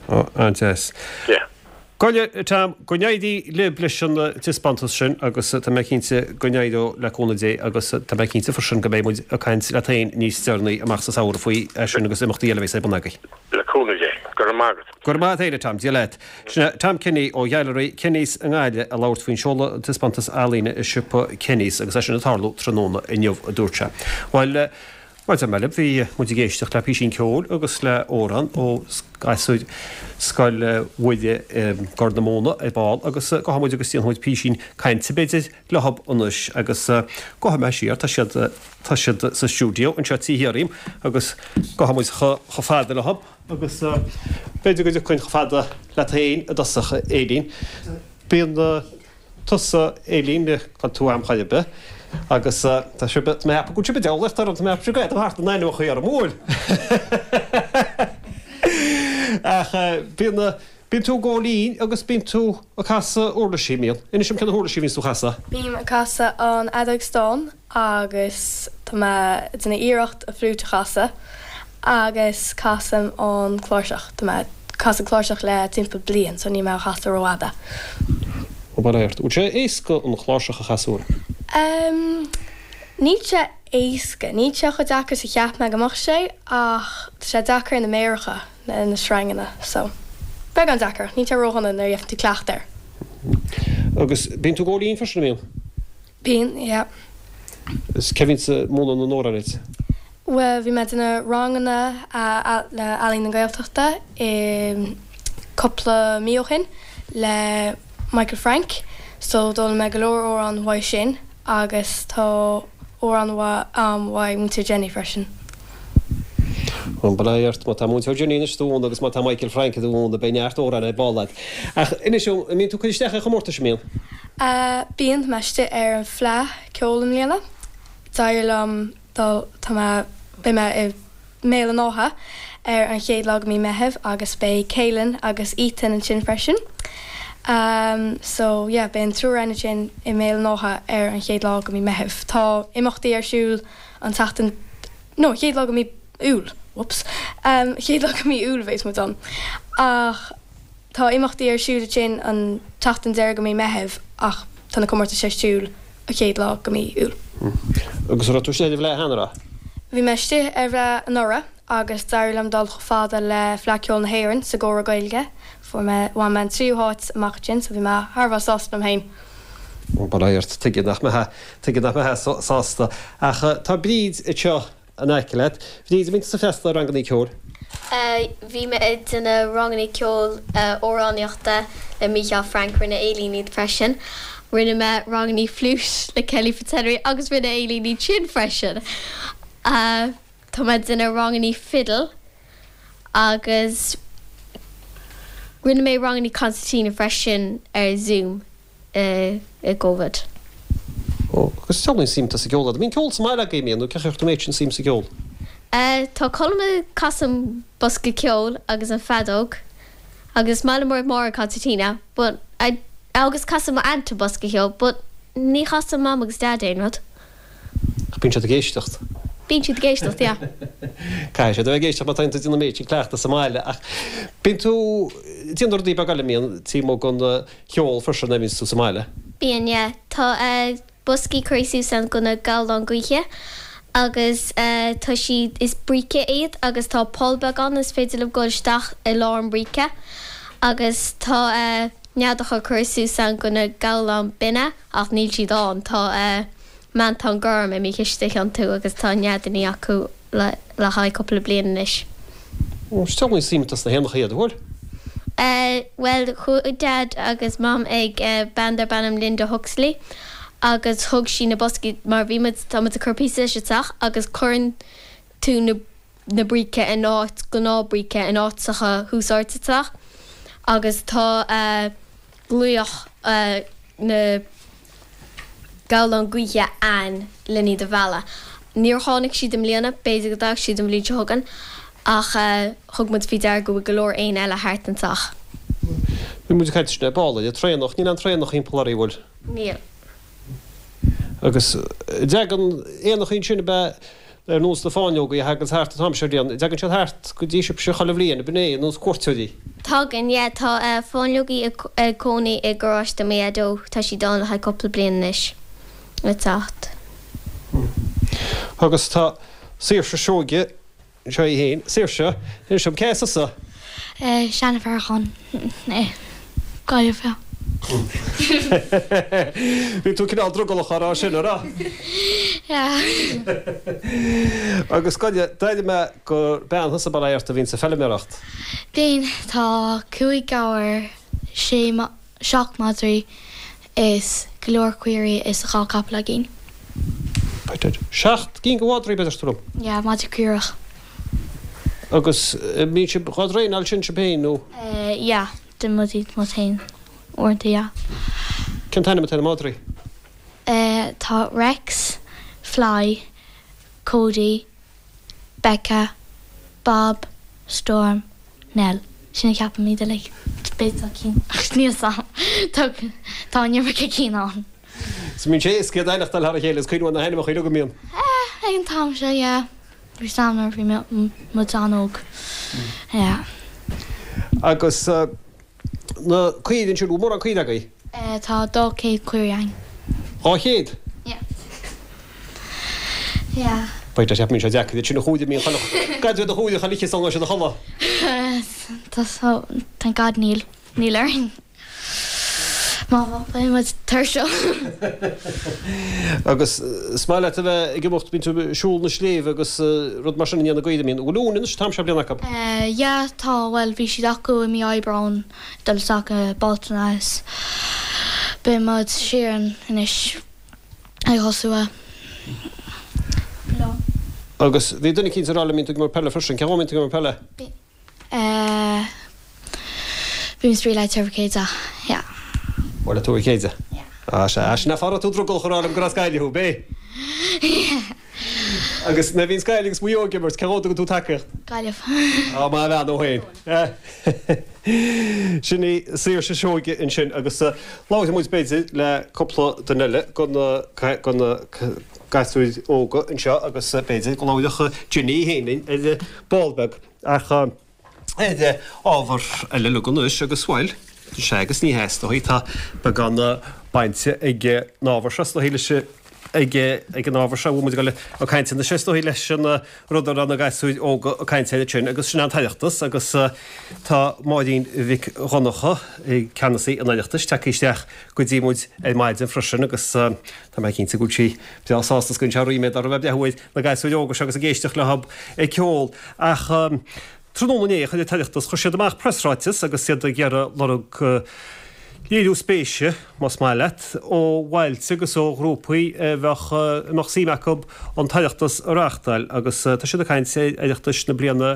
Ó, an-deas. Yeah. Gabh i leith, Tom, go n-éirí libh leis an taispeántas sin agus tá mé cinnte go n-éireoidh le cúnamh Dé agus tá mé cinnte freisin go mbeidh muid ag caint leat féin níos deireanaí amach sa samhradh faoi sin agus imeachtaí eile a bheas ar bun agaibh. Le cúnamh Dé. Go raibh maith agat. Go raibh maith agat féin, a Tom. Dia leat. Sin é Tom Kenny ó Ghailearaí Kenny's i nGaillimh ag labhairt faoin seoladh an taispeántas ealaíne i siopa Kenny's agus é sin ag tarlú tráthnóna inniu, a dúirt sé. Bhuel, Mar a deir mé libh, bhí muid ag éisteacht le písín ceoil agus le amhrán ó ghasúir Scoil Mhuire i gCorr na Móna ar ball agus gabhfaidh muid agus déanfaidh muid písín cainte b'fhéidir leothab anois agus gabhfaidh mé siar, tá siad, tá siad sa stiúideo anseo taobh thiar dhíom agus gabhfaidh muid chomh fada leothab agus b'fhéidir go dtiocfainn chomh fada leat féin i dtosach, a Éilín. Bíonn. tusa, Éilín, gan tú a'm chor ar bith, agus tá sibh, tá mé ag ceapadh go bhfuil sibh ag diabhlaíocht orm, tá mé ag ceapadh sibh ag thart in ainmneacha orm, an bhfuil? Ach bíonn, bíonn tú ag gabháil fhoinn agus bíonn tú ag casadh uirlisí, mbíonn? Inis dom cé na huirlisí a bhíonns tú a chasadh? Bím ag casadh an fheadóg stáin agus tá mé ag déanamh iarracht an fliúit a chasadh agus casaim an cláirseach. Tá mé ag casadh cláirseach le timpeall bliain so níl mé á chasadh rófhada. Ó bail ort. Bhfuil sé éasca an chláirseach a chasadh? Em, níl sé éasca. Níl sé chomh deacair is a cheap mé go mbeadh sé ach tá sé deacair ar na méaracha, na na sreanganna so beagán deacair ach níl sé ródhona nuair a gheibheann tú cleachtadh air. Agus bíonn tú ag gabháil fhoinn freisin, an mbíonn? Bíonn, yeah. Is cé bhíonns ag múineadh na n-amhrán duit? Bhuel, bhí mé ag déanamh ranganna le Ealaín na Gaeltachta i cúpla mí ó shin le Michael Frank so d'fhoghlaim mé go leor amhrán uaidh sin agus tá amhrán a'm uaidh Múinteoir Jenny freisin. Bhuel, bail ó Dhia ort, má tá Múinteoir Jenny anois do mhúineadh agus má tá Michael Frank do mhúineadh beidh neart amhrán ar ball agat. Ach inis dom, an mbíonn tú ag cur isteach ar chomórtais, an mbíonn? Bíonn, tá mé istigh ar an Fleadh Ceoil i mbliana. D'éirigh liom dul, tá mé, beidh mé i mBéal an Átha ar an chéad lá de mí Meitheamh agus beidh Kealan agus Ethan ansin freisin. So yeah, beidh an triúr againn ansin i mBéal an Átha ar an chéad lá de mí Meitheamh. Tá imeachtaí ar siúl an tseachtain, no, an chéad lá de mí Iúil, whoops, chéad lá de mí Iúil a bheas muid ann. Ach tá imeachtaí ar siúl ansin an tseachtain deiridh de mí Meitheamh ach tá na comórtais ar siúl an chéad lá de mí Iúil. Agus an raibh tú istigh ar an bhFleadh cheana, an raibh? Bhí mé istigh ar bhFleadh anuraidh agus d'éirigh liom dul chomh fada le Fleadh Ceoil na hÉireann sa gcomhrá Gaeilge. Fuair mé, bhain mé an tríú háit amach ansin so bhí mé thar a bheith sásta liom féin. Bail ó Dhia ort, tuige nach mbeifeá, tuige nach mbeifeá sásta. Ach tá Bríd anseo in aice leat. Bríd, an mbíonn tusa ag freastal ar rangannaí ceoil? Bhí mé ag déanamh rangannaí ceoil amhránaíochta le Mícheál Frank, rinne Aileen iad freisin. Rinne mé rangannaí fliúit le Kelly Fitzhenry agus rinne Aileen iad sin freisin. Tá mé ag déanamh rangannaí fiddle agus rinne mé rangannaí concertina freisin ar Zoom. i gCovid. Ó, agus dealraíonn suim atá sa gceol agat. An mbíonn ceol sa mbaile agaibh, an mbíonn, nó cén chaoi ar chuir tú an méid sin suim sa gceol? Tá Colm ag casadh an bosca ceoil agus an feadóg agus is maith liom Máire concertina but I agus casann mo aunt an bosca ceoil but ní chasann Mam agus Dad aon rud. Ach bíonn siad ag éisteacht. Bíonn siad ag éisteacht, yeah. Caithfidh siad a bheith ag éisteacht má tá tú ag déanamh an méid sin cleachtaidh sa mbaile. Ach bíonn tú ag déanamh rudaí beaga eile, an mbíonn, taobh amuigh den cheol freisin nuair a bhíonns tú sa mbaile? Bíonn, yeah. Tá boscaí curtha suas ann do na gabhláin gaoithe agus tá siad, is bríce iad agus tá poll beag ann is féidir libh dul isteach i lár an bríce agus tá neadacha curtha suas ann do na gabhláin binne ach níl siad ann. Tá meantán gorm imithe istigh iontu agus tá neadannaí acu le le haghaidh cúpla bliain anois. Ó, is dealraíonn suim atá sna héanacha iad, an bhfuil? Eh, bhuel, chuaigh Dad agus Mam ag bean darb ainm Linda Huxley agus thug sí na boscaí mar bhí muid, tá muid ag cur píosa leis an teach agus cuireann tú na na bríce in áit gnáth bríce in áiteacha thuas ard sa teach agus tá eh glaoch eh na gabhlán gaoithe ann len iad a mhealladh. Níor tháinig siad i mbliana, b'fhéidir go dtagann siad an bhliain seo chugainn, ach thug muid faoi deara go bhfuil go leor éin eile thart an teach. Bhí muid ag caint ansin ar ball ar an traonach, níl aon traonach thimpeall oraibh, an bhfuil? Níl. Agus an dtagann éanachaí ansin ab ea Ar nós na fáinleogaí a thaganns thart an t-am seo bliain, dtagann siad thart go dtí sibhse chuile bhliain, ab in é, ar nós cuairteoirí? Tagann, yeah. Tá fáinleogaí ag cónaí i gcaráiste mo Dhaideo, tá siad ann le haghaidh cúpla bliain anois, ag teacht. Agus tá Saoirse Seoige. Seo í féin. Saoirse, inis dom, cé as tusa? Seanfhearchain, Gaillimh. Bhí tú cineál drogallach á rá sin, an raibh? Yeah. Agus Gaillimh, d'airigh mé gur bean thusa bail ó Dhia ort a bhíonns ag feilméaracht. Bíonn. Tá cúig gabhar, sé 7 madraí is go leor caoirigh is 2 capall againn. 7 gcinn de mhadraí, deir tú liom? Yeah, madra caorach. Agus mbíonn sibh dhá dtraenáil sin sibh féin nó? Yeah, déanann muid iad muid féin uaireanta, yeah. Cén t-ainm atá ar na madraí? Tá Rex, Fly, Cody, Becca, Bob, Storm, Nell. Sin a cheapaim iad uilig. B'fhéidir tá cinn ach níl 's a'm. Tá tá an iomarca cinn ann. So mbíonn sé éasca iad a aithneachtáil thar a chéile is cuimhneamh ar na hainmneacha uilig an mbíonn? Eh, ag an t-am seo, yeah. Bhí 's a'm nuair a bhí muid an-óg. Yeah. Agus na caoirigh ansin, bhfuil mórán caoirigh agaibh? Tá 200 caoirigh againn. 200? Yeah. Yeah. B'fhéidir, cheap mé sé deacair iad sin a chúigear, mbíonn chuile, gad iad a chúigear chuile oíche sula ngabhann siad a chodladh. Tá so, thank God níl, níl orainn. Má beidh muid tuirseach. Agus is maith leat a bheith ag imeacht, bíonn tú ag siúl na sléibhe agus rud mar sin i ndiaidh na gaoithe, an mbíonn? Bhfuil uain anois an t-am seo bliana acu? Yeah, tá, bhuel bhí siad acu i mí Aibreáin, dul isteach i Bealtaine is beidh muid siar anois ag thosú a lá. Agus bhí duine eicínt ag rá liom, bíonn tú ag imirt peile freisin, cén dhóigh a mbíonn tú ag imirt peile? Eh, bím ag spraoi le Tuar Mhic Éide, yeah. Bhuel, le Tuar Mhic Éide? Yeah. Ah, sea. Ah, sin é fáth a raibh tú drogallach a rá liom gur as Gaillimh thú, b'é? Yeah. Agus nuair a bhíonns Gaillimh agus Maigh Eo ag imirt, cé dhó a dtugann tú tacaíocht? Gaillimh. Ah, maith an bhean thú féin. Sin í Saoirse Seoige ansin agus labharfaidh muid b'fhéidir le cúpla duine eile de na, de na gasúir óga anseo agus b'fhéidir go labhródh Ginny féin linn ar ball beag. Ach ar ábhar eile uilig anois agus, bhuel, sea agus ní hea, is dóigh, tá beagán bainte ag an ábhar seo, is dóigh, leis, ag, ag an ábhar seo a bhfuil muid ag dul ag caint anois, is dóigh, leis an rud a raibh na gasúir óga ag caint air ansin agus sin an tOireachtas agus tá Máirín Mhic Dhonncha, ceannasaí an Oireachtais, tagtha isteach go dtí muid ar maidin freisin agus tá mé cinnte go bhfuil sí breá sásta is go bhfuil sé ríméad uirthi a bheith ag breathnú ar na gasúir óga seo agus ag éisteacht leo ag ceol. Ach tráthnóna inné, chuir an tOireachtas, chuir siad amach preasráiteas agus iad ag iarraidh lorg léiriú spéise, más maith leat, ó bhailte agus ó ghrúpaí a bheadh, a mbeadh suim acu an tOireachtas a reáchtáil agus tá siad ag caint ar Oireachtais na bliana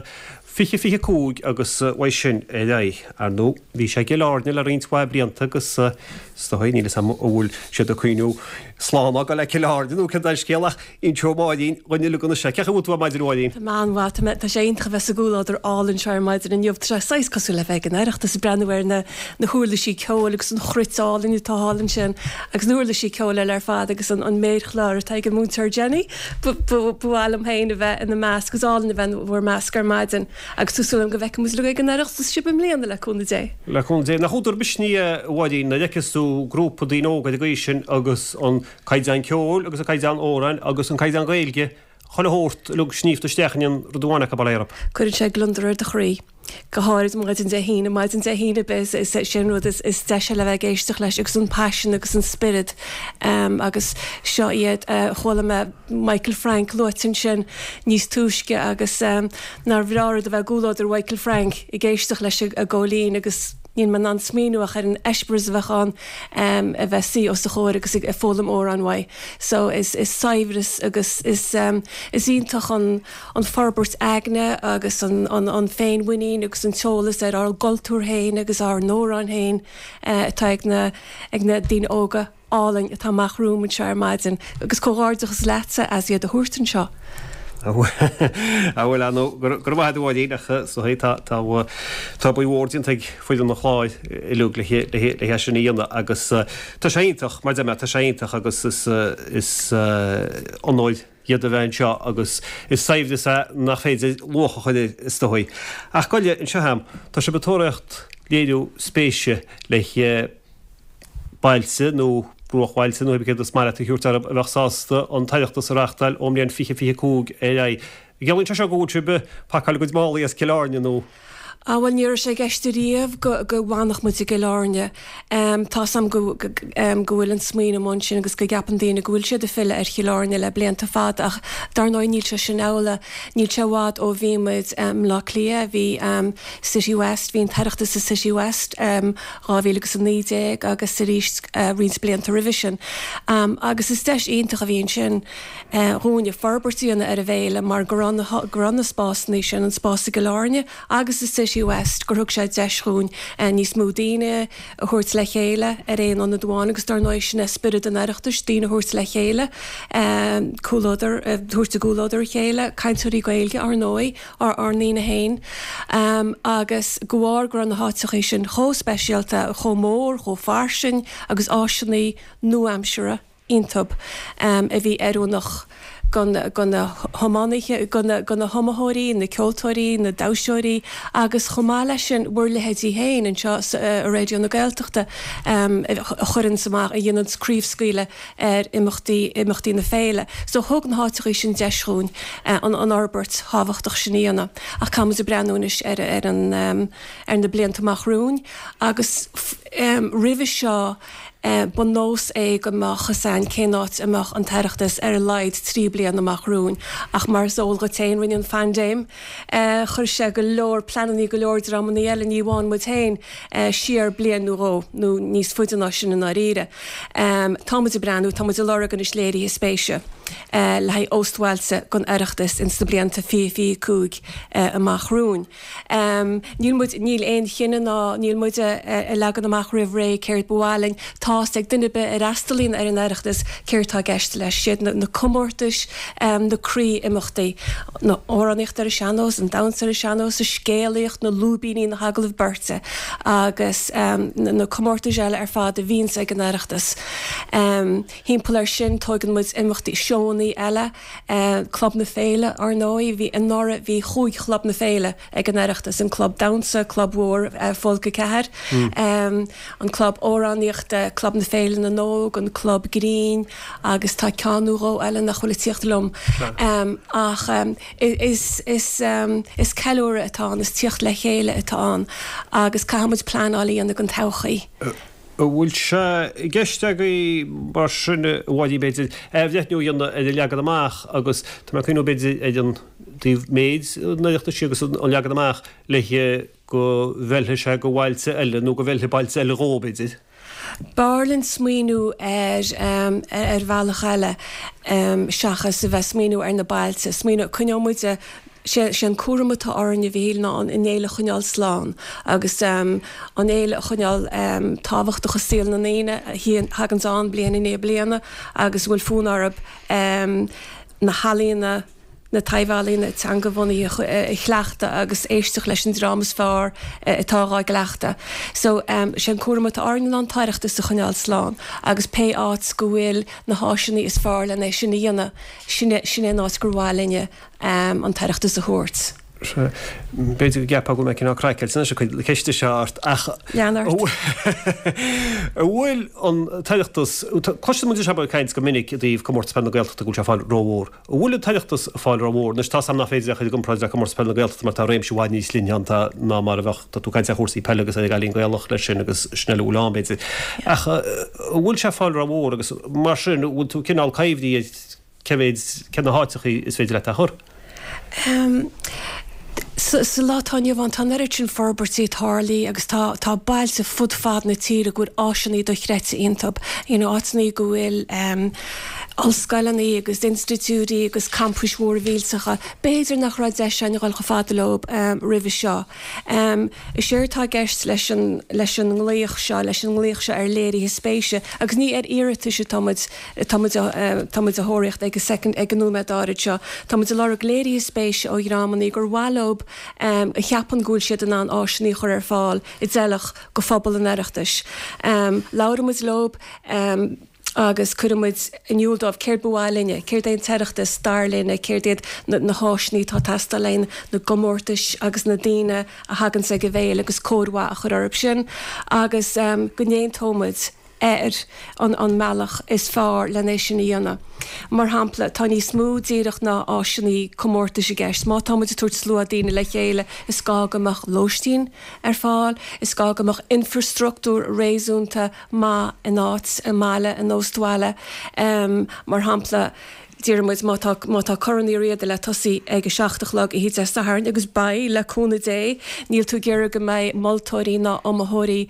2025 agus uaidh sin ar aghaidh. Ar ndóigh, bhí sé i gCill Airne le roinnt mhaith blianta agus is dóigh, níl 'fhios a'm an bhfuil siad ag cuimhniú slán a fhágáil le Cill Airne nó céard é an scéal ach inseoidh Máirín dhuinn uilig anois é. Cén chaoi a bhfuil tú ar maidin a Mháirín? Tá mé an-mhaith. Tá mé, tá sé iontach a bheith sa gcomhluadar álainn seo ar maidin inniu. Tá sé saghas cosúil le bheith ag an Oireachtas, ag breathnú ar na, na huirlisí ceoil agus an chruit álainn atá thall ansin agus na huirlisí ceoil eile ar fad agus an, an méarchlár atá ag an múinteoir Jenny. Ba, ba, ba mhaith liom féin a bheith ina measc, is álainn a bheith in bhur measc ar maidin agus tá súil agam go bhfeicfidh muid uilig ag an Oireachtas sibh i mbliana le cúnamh Dé. Le cúnamh Dé. Nach údar misnigh é a Mháirín nuair a fheiceas tú grúpa daoine óga ar an gcaoi sin agus an caighdeán ceoil agus an caighdeán amhráin agus an caighdeán Gaeilge, chuile shórt uilig sníomhta isteach in aon rud amháin acu, bail ó Dhia orthu. Cuireann sé gliondar ar do chroí, go háirid maidin Dé hAoine, maidin Dé hAoine ar bith, is é sin an rud is deise le bheith ag éisteacht leis agus an paisean agus an spiorad agus seo iad, chuala mé Michael Frank luaite ansin níos túisce agus nár bhreá rud a bheith i gcomhluadar Mhichael Frank ag éisteacht leis an gcóilín agus níl mé in ann smaoineamh ach ar an eispéireas a bheadh ann a bheith suí os a chomhair agus ag foghlaim amhrán uaidh. So is is saibhreas agus is is iontach an an forbairt aigne agus an an an féinmhuinín agus an t-eolas ar ár gcultúr féin agus ár n-amhráin féin atá ag na ag na daoine óga álainn atá amach romham anseo ar maidin agus comhghairdeachas leatsa as iad a thabhairt anseo. A bhuel, ar ndóigh, go raibh maith agat a Mháirín ach is dóigh tá tá tá obair mhór déanta ag foireann an chláir uilig le le le é sin a dhéanamh agus tá sé iontach mar a deir mé tá sé iontach agus is is onóir iad a bheith anseo agus is saibhreas é nach féidir luach a chur air is dóigh. Ach gabh i leith anseo a'm, tá sibh ag tóraíocht léiriú spéise le bailte nó bruachbhailte nó céard is maith leat a thabhairt orthu a bheadh sásta an tOireachtas a reáchtáil ón mbliain 2025 ar aghaidh. An gciallaíonn sé seo go bhfuil sibh ag pacáil a gcuid málaí as Cill Airne nó? Ah bhuel ní raibh sé i gceist ariamh go go bhfanfadh muid i gCill Airne. Tá's a'm go go go bhfuil an smaoineamh ansin agus go gceapann daoine go bhfuil siad ag filleadh ar Chill Airne le blianta fada ach dar ndóigh níl sé sin amhlaidh. Níl sé i bhfad ó bhí muid i mBleá Cliath, bhí City West, bhí an tOireachtas i City West 2019 agus arís roinnt blianta roimhe sin. Agus is deis iontach a bhí ansin dhúinne forbairt a dhéanamh ar an bhféile mar go raibh na go raibh na spásanna sin, an spás i gCill Airne agus i City West, gur thug sé deis dhúinn níos mó daoine a thabhairt le chéile ar aon ionad amháin agus dar ndóigh sin é spiorad an Oireachtais, daoine a thabhairt le chéile, comhluadar, a thabhairt i gcomhluadar a chéile, cainteoirí Gaeilge ar ndóigh. ár ndaoine féin, agus de bharr go raibh na háiteachaí sin chomh speisialta, chomh mór, chomh fairsing agus áiseanna nua-aimseartha iontub a bhí oiriúnach do na hiománaithe, do na hiomaitheoirí, na ceoltóirí, na damhsóirí agus chomh maith leis sin bhur leithéidí féin anseo i Raidió na Gaeltachta a chuireanns amach, a dhéananns craobhscaoileadh ar imeachtaí imeachtaí na féile. So thug na háiteachaí sin deis dhúinn an an fhorbairt thábhachtach sin a dhéanamh. Ach caithfidh muid ag breathnú anois ar ar an ar na blianta amach romhainn agus. Roimhe seo, ba nós é go mbeadh fhios a'inn cén áit a mbeadh an tOireachtas ar a laghad 3 bliana amach romhainn, ach mar is eol dhuit féin, rinne an phaindéim, chuir sé go leor pleanannaí go leor dreamannaí eile, ní amháin muid féin, siar bliain nó dhó, nó níos faide ná sin i ndáiríre. Tá muid ag breathnú, tá muid ag lorg anois léirithe spéise le haghaidh óstbhailte don Oireachtas ins na blianta 2025 amach romhainn. Níl muid, níl aon chinneadh ná níl muid ag leagan amach roimh ré céard ba mhaith linn. Tá's ag duine ar bith a fhreastalaíonn ar an Oireachtas céard tá i gceist leis. Siad na comórtais, na croí-imeachtaí, an amhránaíocht ar an sean-nós, an damhsa ar an sean-nós, an scéalaíocht, na lúibíní, na hagallaimh beirte agus na comórtais eile ar fad a bhíonns ag an Oireachtas. Thimpeall air sin tóigeann muid imeachtaí, seónnaí eile. Club na Féile, Ar ndóigh, bhí anuraidh bhí chúig Chlub na Féile ag an Oireachtas, an Club Damhsa, Club Mhór Folk 4, an Club Amhránaíochta, Club na Féile na nÓg, an Club Grinn agus tá ceann nó dhó eile nach bhfuil ag tíocht liom. Ach is is ceiliúradh atá ann, is tíocht le chéile atá ann agus caithfidh muid pleanáil a dhéanamh don todhchaí. An bhfuil sé i gceist agaibh mar sin, a Mháirín, b'fhéidir, athbhreithniú a dhéanamh ar an leagan amach agus tá mé ag cuimhniú b'fhéidir ar an dtaobh méid an Oireachtais agus an leagan amach le go bhfeilfidh sé go bhailte eile nó go bhfeilfidh bailte eile dhó, b'fhéidir? B'fhearr linn smaoineamh ar ar bhealach eile seachas a bheith smaoineamh ar na bailte. Smaoineamh, coinneoidh muid Sé an cúram atá orainn, a Mhichíl, ná an fhéile a choinneáil slán agus an fhéile a choinneáil tábhachtach i saol na ndaoine a thaganns ann bliain i ndiaidh bliana agus a bhfuil fonn orthu na healaíona, na taibh-ealaíona teanga-bhunaithe a chleachtadh agus éisteacht leis an dream is fearr atá dhá gcleachtadh. So, sé an cúram atá orainn ná an tOireachtas a choinneáil slán agus pé áit go bhfuil na háiseanna is fearr len é sin a dhéanamh, sin é an áit gur mhaith linne an tOireachtas a thabhairt. Sea. B'fhéidir go gceapfá go bhfuil mé cineál craiceáilte anois ag cur na ceiste seo ort ach Lean ort. an bhfuil an tOireachtas, cloiseann muid sibh ag caint go minic i dtaobh Comórtas Peile na Gaeltachta go bhfuil sé ag fáil rómhór. An bhfuil an tOireachtas ag fáil rómhór? Anois tá's a'm nach féidir é a chur i gcomparáid le Comórtas Peile na Gaeltachta mar tá réimse i bhfad níos leithne ann ná mar a bheadh, tá tú ag caint ar chúrsaí peile agus ar an gCailín Gaelach leis sin agus sin eile a bhfuil ann b'fhéidir. Ach an bhfuil sé ag fáil rómhór agus mar sin an bhfuil tú cineál coimhthí ar Cé mhéid, cé na háiteachaí is féidir leat é a chur? Sa lá atá inniu ann, tá an oiread sin forbairtí tarlaithe agus tá tá bailte fud fad na tíre go bhfuil áiseanna dochreidte iontu, you know áiteanna go bhfuil ollscoileanna agus institiúidí agus campais mhóra mhillteacha. B'fhéidir nach raibh deis againn a dhul chomh fada leo roimhe seo. Is éard atá i gceist leis an leis an nglaoch seo, leis an nglaoch seo ar léirithe spéise, agus ní ar iarratais atá muid, Tá muid tá muid a thóraíocht ag an second ag an nóiméad áirid seo. Tá muid ag lorg léirithe spéise ó dhreamannaí gur mhaith leo a cheapann go bhfuil siad in ann áiseanna a chur ar fáil a d'fheilfeadh go phobal an Oireachtais. Labhraíonn muid leo agus cuireann muid in iúl dóibh céard ba mhaith linne, céard é an tOireachtas dar linne, céard iad na háiseanna atá ag teastáil le na gcomórtais agus na daoine a thaganns ag an bhféile agus cóir mhaith a chur orthu sin agus go n-aontóidh muid. ar an an mbealach is fearr len é sin a dhéanamh. Mar shampla, tá níos mó díreach ná áiseanna comórtais i gceist. Má tá muid ag tabhairt slua daoine le chéile, is gá go mbeadh lóistín ar fáil, is gá go mbeadh infreastruchtúr réasúnta maith in áit, i mbaile, in óstbhaile. Mar shampla, Déarfaidh muid, má tá, má tá Corn Uí Riada le tosaí ag a 7 a chlog oíche Dé Sathairn, agus beidh, le cúnamh Dé, níl tú ag iarraidh go mbeidh moltóirí ná iomaitheoirí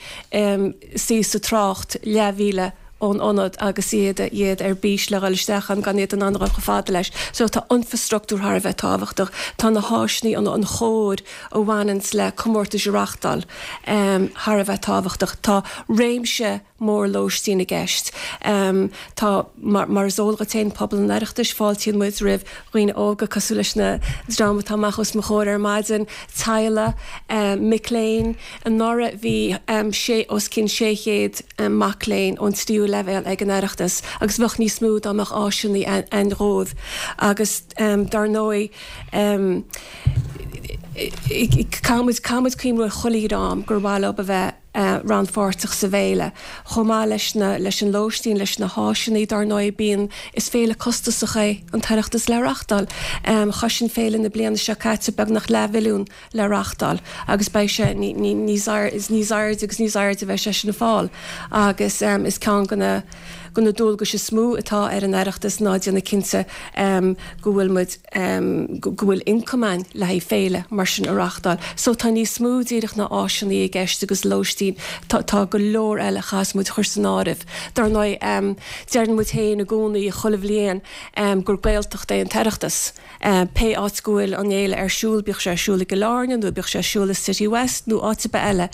suí sa trácht leathmhíle ón ionad agus iad, iad ar bís le dhul isteach ann gan iad in ann a dhul chomh fada leis. So tá infreastruchtúr thar a bheith tábhachtach. Tá na háiseanna, an, an chóir a bhaineanns le comórtais a reachtáil thar a bheith tábhachtach. Tá réimse. mór lóistín i gceist. Tá, mar is eol dhuit féin, pobal an Oireachtais, fáiltíonn muid roimh dhaoine óga cosúil leis na dream atá amach os mo chomhair ar maidin, teaghlaigh, mic léinn. Anuraidh bhí sé, os cionn 600 mac léinn ón tríú leibhéal ag an Oireachtas agus bheadh níos mó dá mbeadh áiseanna ann dhóibh. Agus dar ndóigh, caithfidh muid, caithfidh muid cuimhniú ar chuile dhream gur mhaith leo a bheith. Rannpháirteach sa bhféile. Chomh maith leis na, leis an lóistín, leis na háiseanna, dár ndóigh, bíonn, is féile costasach é an tOireachtas le reachtáil. Chosain féile na bliana seo caite beagnach leathmhilliún le reachtáil agus beidh sé ní, ní, níos airde, níos airde agus níos airde a bheidh sé sin ag fáil agus is ceann de na, de na dualgais is mó atá ar an Oireachtas ná déanamh cinnte go bhfuil muid, go bhfuil ioncam ann le haghaidh féile mar sin a reachtáil. So tá níos mó díreach ná áiseanna i gceist agus lóistín, tá tá go leor eile a chaithfeas muid a chur san áireamh. Dar ndóigh, deireann muid féin i gcónaí chuile bhliain gur Gaeltacht é an tOireachtas. Pé áit go bhfuil an fhéile ar siúl, bíodh sé ar siúl i gCill Airne nó bíodh sé ar siúl i City West nó áit ar bith eile,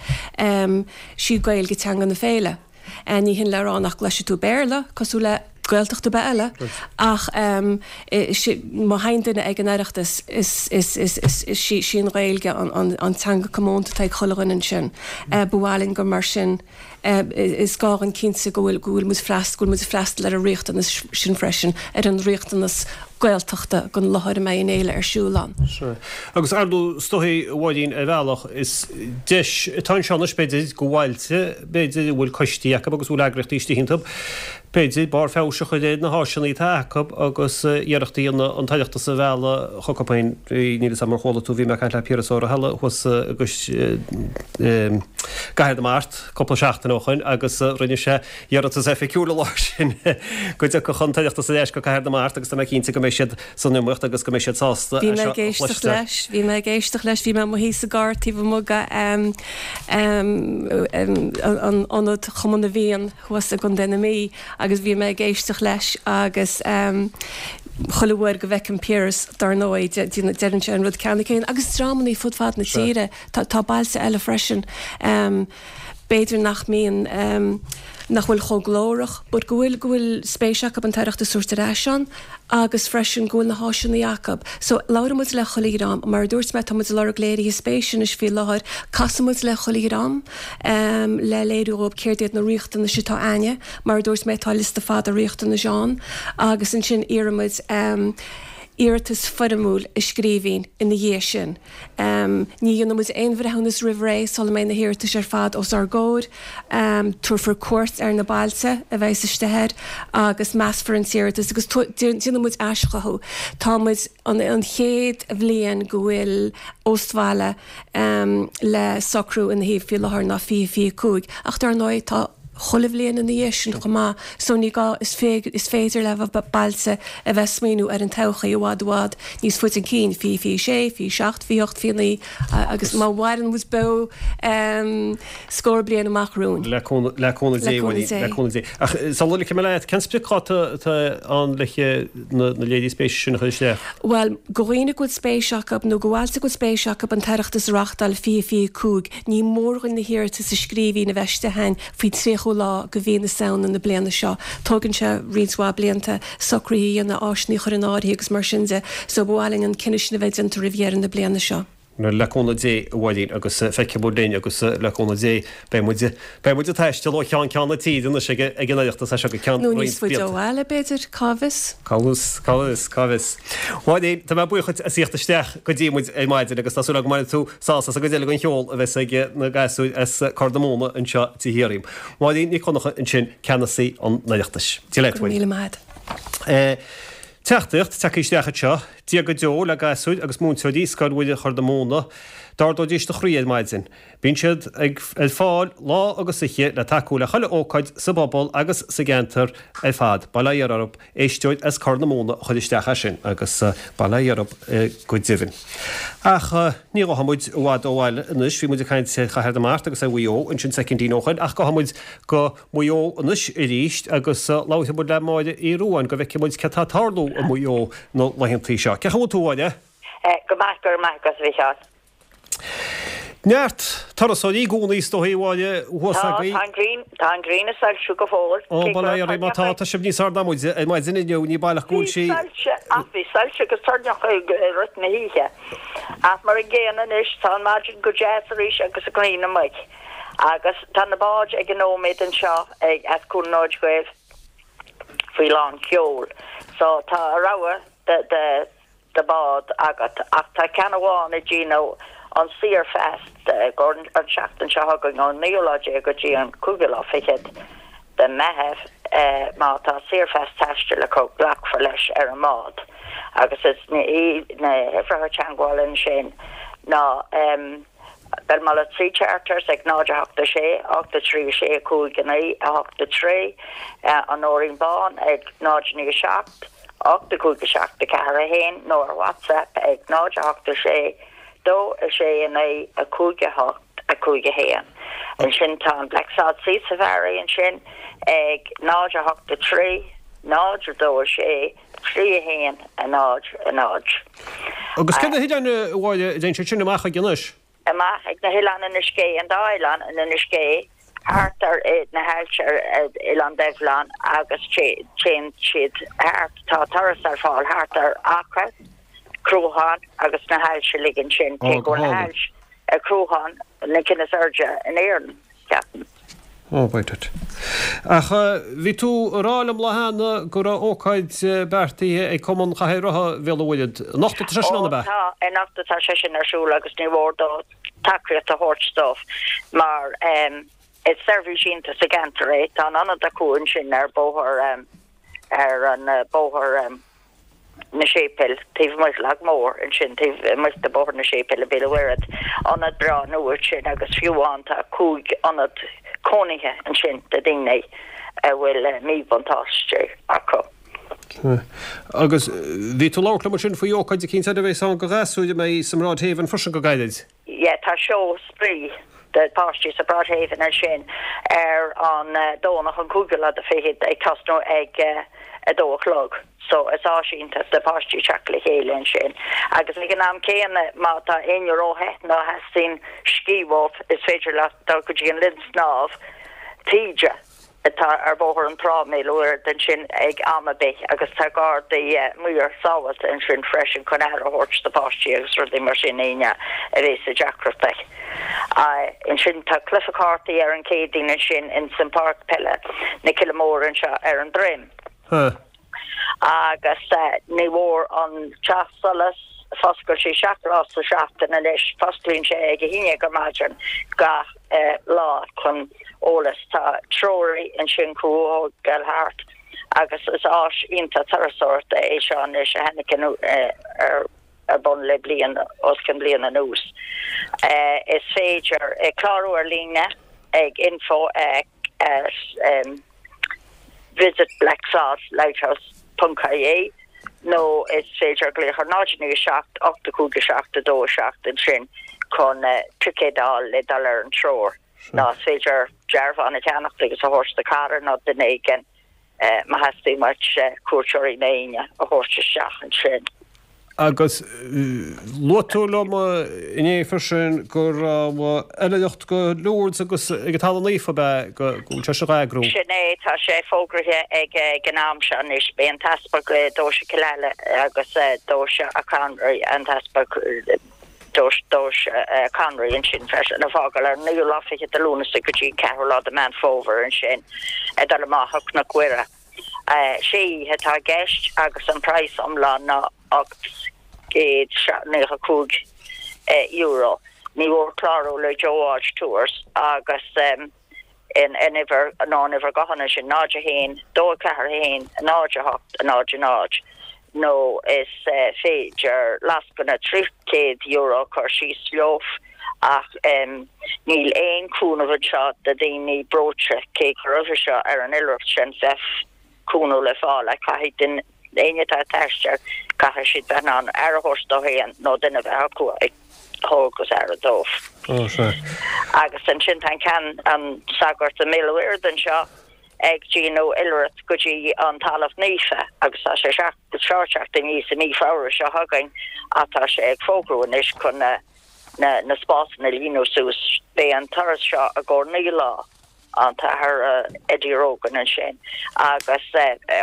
sí Gaeilge teanga na féile. Ní hin le rá nach gcloisfidh tú Béarla, cosúil le Gaeltacht ar bith eile, ach má thagann duine ag an Oireachtas, is í an Ghaeilge an teanga comónta atá ag chuile dhuine ansin. Ba mhaith linn gur mar sin, is gá dhúinn cinnte go bhfuil go bhfuil muid freastal, go bhfuil muid ag freastal ar an riachtanas sin freisin, ar an riachtanas Gaeltachta don láthair a mbeidh an fhéile ar siúl ann. Sea. Agus ar ndóigh, is dóichí, a Mháirín, ar bhealach, is deis atá anseo anois, b'fhéidir, do bhailte, b'fhéidir, a bhfuil coistí acu agus a bhfuil eagraíochtaí istigh iontu, b'fhéidir, barr feabhais a chur ar na háiseanna atá acu agus iarracht a dhéanamh an tOireachtas a mhealladh chucu féin. Níl 'fhios a'm ar chuala tú, bhí mé ag caint le Piaras Ó Rathaille thuas i gCathair na Mart cúpla seachtain ó shoin agus rinne sé iarratas oifigiúil an lá sin go dtiocfadh an tOireachtas ar ais go Cathair na Mart agus tá mé cinnte go mbeidh siad san iomaíocht agus go mbeidh siad sásta é seo a chloisteáil. Bhí mé ag éisteacht leis, bhí mé i mo shuí sa gcarr taobh amuigh de an ionad Chumann na bhFiann thuas i gContae na Mí agus bhí mé ag éisteacht leis agus chuile uair go bhfeicim Piaras dar ndóigh deireann sé an rud ceanna céanna agus dreamanna fud fad na tíre, tá bailte eile freisin. b'fhéidir nach mbíonn, nach bhfuil chomh glórach, but go bhfuil, go bhfuil spéis acu an tOireachtas a thabhairt ar ais ann agus freisin go bhfuil na háiseanna acu. So, labhrann muid le chuile dhream, mar a dúirt mé, tá muid ag lorg léirithe spéise anois faoi láthair, casann muid le chuile dhream le léiriú dhóibh céard iad na riachtanais atá a'inne, mar a dúirt mé, tá liosta fada riachtanais ann agus ansin iarrann muid iarratas foirmiúil i scríbhinn ina dhiaidh sin. Ní dhéanann muid aon bhreithiúnas roimh ré sula mbeidh na hiarratais ar fad os ár gcomhair. Tabharfar cuairt ar na bailte a bheas istigh air agus measfar an t-iarratas agus déanfaidh muid aischothú. Tá muid an chéad bhliain go bhfuil óstbhaile le socrú ina thaobh faoi láthair ná 2025 ach dar ndóigh tá chuile bhliain ina dhiaidh sin chomh maith so ní gá, is féidir le bailte a bheith ag smaoineamh ar an todhchaí i bhfad i bhfad níos faide chun cinn, 2026, 27, 28, 29 agus má mhaireann muid beo scór bliain amach romhainn. Le cúnamh Dé, le cúnamh Dé. Ach sula ligfidh mé leat, cén spriocdháta atá ann le na léirithe spéise sin a chur isteach? Bhuel, do dhaoine go bhfuil spéis acu nó do bhailte go bhfuil spéis acu an tOireachtas a reachtáil 2025, Ní mór dhuinn na hiarratais i scríbhinn a bheith istigh a'inn faoin 30ú lá de mhí na Samhna na bliana seo. Tógann sé roinnt mhaith blianta socruithe a dhéanamh, áiseanna a chur in áirithe agus mar sin de, so ba mhaith linn an cinneadh sin a bheith déanta roimh dheireadh na bliana seo. Le cúnamh Dé, a Mháirín, agus feicfidh muid linn agus le cúnamh Dé beidh muid, beidh muid ag taisteal ó cheann ceann na tíre anois ag ag an Oireachtas as seo go ceann Nó níos faide ó bhaile, b'fhéidir, cá bhfios? Cá bhfios, cá bhfios, cá bhfios. Mháirín, tá mé buíoch dhuit as theacht isteach go dtí muid ar maidin agus tá súil agam go mbainfidh tú sásamh as an gcuid eile den cheol a bheas ag na gasúir as Corr na Móna anseo i dTigh Thiarraí. Máirín Nic Dhonncha ansin, Ceannasaí an Oireachtais. Dia leat, Go raibh míle maith agat. Teachtaireacht tagtha isteach anseo, Dia go deo le gasúir agus múinteoirí Scoil Mhuire Chorr na Móna. D'ardóidís do chroí ar maidin. Bíonn siad ag ar fáil lá agus oíche le tacú le chuile ócáid sa bpobal agus sa gceantar ar fad. Bail ó Dhia orthu. Éisteoir as Corr na Móna a chuir isteach é sin agus bail ó Dhia orthu go deimhin. Ach ní ghabhfaidh muid i bhfad ó bhaile anois, bhí muid ag caint ar Chathair na Mart agus ar Mhaigh Eo ansin soicindín ó shoin ach gabhfaidh muid go Maigh Eo anois arís agus labharfaidh muid le Máire Uí Ruadháin go bhfeicfidh muid céard tá ag tarlú i Maigh Eo na laethantaí seo. Cén chaoi a bhfuil tú a Mháire? Go maith, go raibh maith agat a Mhicheáil. Neart turasóirí i gcónaí is dóigh a Mháire thuas Tá, agaibh. tá an ghrian, tá an ghrian ag soilsiú go fóill. Ó, Cé bail ó Dhia oraibh má tá, tá sibh níos airde ná muide ar maidin inniu, ní baileach go bhfuil Bhí sí. soilse, ach bhí soilse agus toirneach i rith na hoíche. Ach mar an gcéanna anois, tá an maidin go deas arís agus an ghrian amuigh. Agus tá na báid ag an nóiméad anseo ag as Cuan an Fhóid Ghaibh faoi lán sheoil. So tá a rogha de, de, de bád agat ach tá ceann amháin ag déanamh. An Saorphas an tseachtain seo chugainn ón naoú lá déag go dtí an cúigiú lá fichead de Meitheamh. Má tá Saorphas taistil acu glacfar leis ar an mbád agus is na huimhreacha teagmhála ansin ná Belmullet Sea Charters ag 0 8 6 8 3 6 5 9 8 3, An Nóirín Bán ag 0 9 7 8 5 7 4 1 nó ar WhatsApp ag 0 8 6 2 6 9 5 8 5 1. Ansin tá an Blacksod Sea Safari ansin ag 0 8 3 0 2 6 3 1 0 0. Agus cé na hoileáin a Mháire a dtéann siad sin amach chuig anois? Amach ag na hoileáin Inis Gé, an dá oileán in Inis Gé, thart ar na haillte ar Oileán Duibhleán agus téann siad thart, tá turas ar fáil thart ar Acaill, Cruachán agus na haillte uilig ansin, cé go bhfuil na haillte ar Chruachán na cinn is airde in Éirinn, ceapaim. Ó, by duit. Ach bhí tú ag rá liom lá cheana go raibh ócáid beartaithe ag Cumann Chathaoir Rotha Bhéal an Mhuirthead. Anocht atá sé sin ann, ab ea? Ó, tá, anocht atá sé sin ar siúl agus ní mhór dó tacaíocht a thabhairt dóibh mar is seirbhís iontach sa gceantar é. Tá an ionad acu ansin ar bóthar ar an bóthar na Séipéil, taobh amuigh de Lag Mór ansin, taobh amuigh de Bóthar na Séipéil i Béal an Mhuirthead. Ionad breá nua ansin agus fiú amháin tá 5 ionad cónaithe ansin do daoine a bhfuil míbhuntáiste acu. Agus bhí tú ag labhairt liom ansin faoi ócáid eicínt eile a bheas ann do ghasúir a mbeidh sa mBroad Haven freisin go gairid. Yeah, tá seó spraoi do pháistí sa Broad Haven ansin ar an Domhnach an cúigiú lá de fichead ag tosnú ag a dó a chlog. So is áis iontach do pháistí teacht le chéile ansin. Agus ag an am céanna má tá éinne róthe nó theastaíonn scíth uathu is féidir leo dul go dtí an linn snámh taoide. atá ar Bhóthar an Trá i mBéal an Mhuirthead ansin ag am ar bith agus tá gardaí maor sábháilte ansin freisin chun aire a thabhairt do pháistí agus rudaí mar sin éinne a bhéas i deacrachtaí. Ansin tá cluiche cártaí ar an Céadaoin ansin ins an páirc peile na Cille Móire anseo ar an Droim. Agus ní mhór an Teach Solais, foscailt sé 7 lá sa seachtain anois, fosclaíonn sé ag a haon déag ar maidin gach lá chun eolas. Tá treoraí ansin chun thú a thógáil thart agus is áis iontach turasóireachta é seo anois a tháinig ar ar bun le bliain, os cionn bliain anuas. Is féidir clárú ar líne ag info at visitblacksodlighthouse ponc ie nó is féidir glaoch ar 0 9 7 8 5 7 2 7 ansin chun ticéad a fháil le dul ar an treoir. Nó is féidir dearbhán a cheannacht agus a thabhairt do cara nó duine éigin má theastaíonn uait cuairteoirí nó éinne a thabhairt isteach ansin. Agus luaigh tú liom inné freisin go raibh oilithreacht go Lourdes agus ag an Talamh Naofa, ab ea, go bhfuil sé seo á eagrú? Sin é, tá sé fógraithe ag an am seo anois. Beidh an tEaspag Deoise Chill Aile agus Deoise Achonry, an tEaspag Deoise Achonry ansin freisin, ag fágáil ar an naoú lá fichead de Lúnasa go dtí an ceathrú lá de Meán Fómhair ansin ag dul amach ó Chnoc Mhuire. Sé oíche atá i gceist agus an praghas iomlán ná €895. Ní mhór clárú le Joe Walsh Tours agus an uimhir nó an uimhir gutháin ansin 0 1 2 4 1 0 8 0 0 nó is féidir lascaine €300 a chur síos leo ach níl aon chúnamh anseo do dhaoine breoite, cé go roimhe seo ar an oilithreacht sin bheadh cúnamh le fáil ach caithfidh duine, éinne atá ag taisteal, caithfidh siad bheith in ann aire a thabhairt dóibh féin nó duine a bheith acu ag tabhairt aire dóibh. Agus ansin tá an ceann, an sagart i mBéal an Mhuirthead anseo ag déanamh oilithreacht go dtí an Talamh Naofa agus tá sé seo ag teacht aníos i mí Feabhra seo chugainn ach tá sé ag fógrú anois chun na na spásanna a líonadh suas. Beidh an turas seo i gcomhair 9 lá, an tAthair Eddie Rogan ansin, agus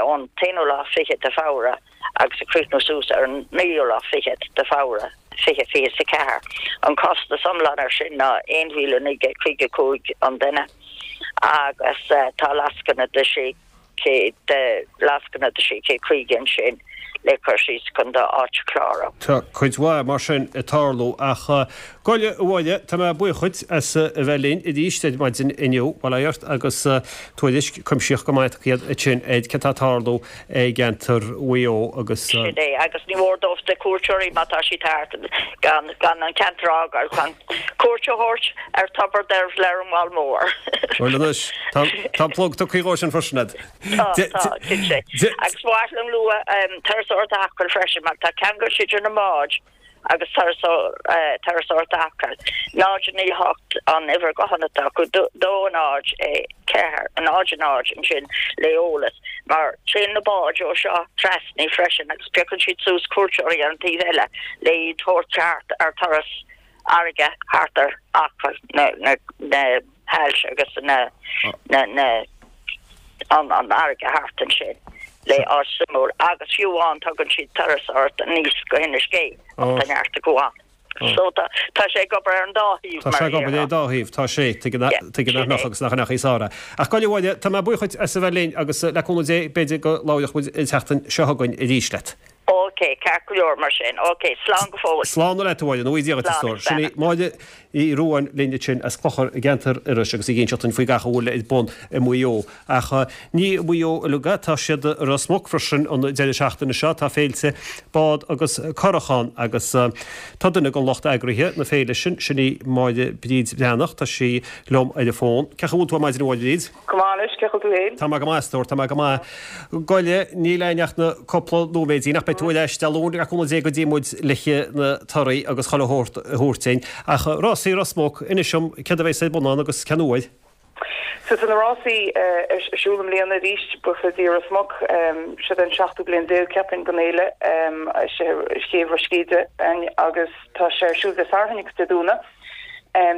ón t-aonú lá fichead de Feabhra agus ag críochnú suas ar an naoú lá fichead de Feabhra, 2024. An costas iomlán ar sin ná 1,955 an duine agus tá lascaine de 600 de lascaine de 650 ansin. Le cur síos chun do áit a chlárú. Tá cuid mhaith mar sin ag tarlú ach gabh i leith a Mháire, tá mé buíoch dhuit as a bheith linn arís ar maidin inniu, bail ó Dhia ort agus tuairisc cuimsitheach go maith tugtha ansin ar céard atá ag tarlú i gceantar Mhaigh Eo agus. Sin é, agus ní mór dóibh na cuairteoirí má tá siad thart gan gan an ceantar a fhágáil chun cuairt a thabhairt ar Tobar Deirbhile ar an Mheall Mór. Bhuel anois, tá an plug tugtha dhó sin freisin a'd. Tá, tá, cinnte. Agus ba mhaith liom lua Turasóireacht Acaill freisin mar tá ceangal idir na báid agus Turasóireacht Acaill. 0 9 8 an uimhir gutháin atá acu, 2 0 4 0 0 ansin le eolas mar téann na báid ó seo trasna freisin agus piocann siad suas cuairteoirí ar an taobh eile le iad thabhairt thart ar turas fharraige thart ar Acaill na haillte agus na an fharraige thart ansin le áit suimiúil agus fiú amháin tugann siad turas ort aníos go hInis Gé ach tá neart acu ann. So tá tá sé ag obair ar an dá thaobh Tá mar sé a ag obair ar déarfá. an dá thaobh, tá sé, tuigeann Yeah, tuigeann sin nach é. agus nach ndeachaigh Sara. Ach gabh i leith a Mháire, tá mé buíoch dhuit as a bheith linn agus le cúnamh Dé b'fhéidir go labhróidh muid an tseachtain seo chugainn arís leat. Ok, ceart go leor mar sin. Ok, slán go fóill. Slán leat a Mháire, go ngnóthaí Dia dhuit a Slán stór. agus Sin í beannacht. Máire Ní Ruadháin linn ansin as Clochar i gceantar Iorrais agus í ag inseacht dúinn faoi gach a bhfuil ar bun i Maigh Eo. Ach ní i Maigh Eo uilig é, tá siad i Ros Muc freisin an deireadh seachtaine seo. Tá féilte bád agus curach ann agus tá duine den lucht eagraithe na féile sin, sin í Máire Bríd Bhreathnach, tá sí liom ar an bhfón. Cén chaoi a bhfuil tú ar maidin a Mháire Bhríd? Go maith anois, cén chaoi a bhfuil tú féin? Tá mé go maith, a stór, tá mé go maith. Gabh i leith, níl againn ach na cúpla nóiméidín ach beidh tú ar ais Dé Luain le cúnamh Dé go dtí muid le na torthaí agus chuile shórt a thabhairt duinn. Ach rásaí Ros Muc, inis dom céard a bheas ar bun ann agus cén uair? So tá na rásaí ar siúl i mbliana arís, buíochas le Dia Ros Muc. Seo é an seachtú bliain déag, ceapaim, den fhéile ar chéibh Ros Céide agus tá sé ar siúl Dé Sathairn agus Dé Domhnaigh.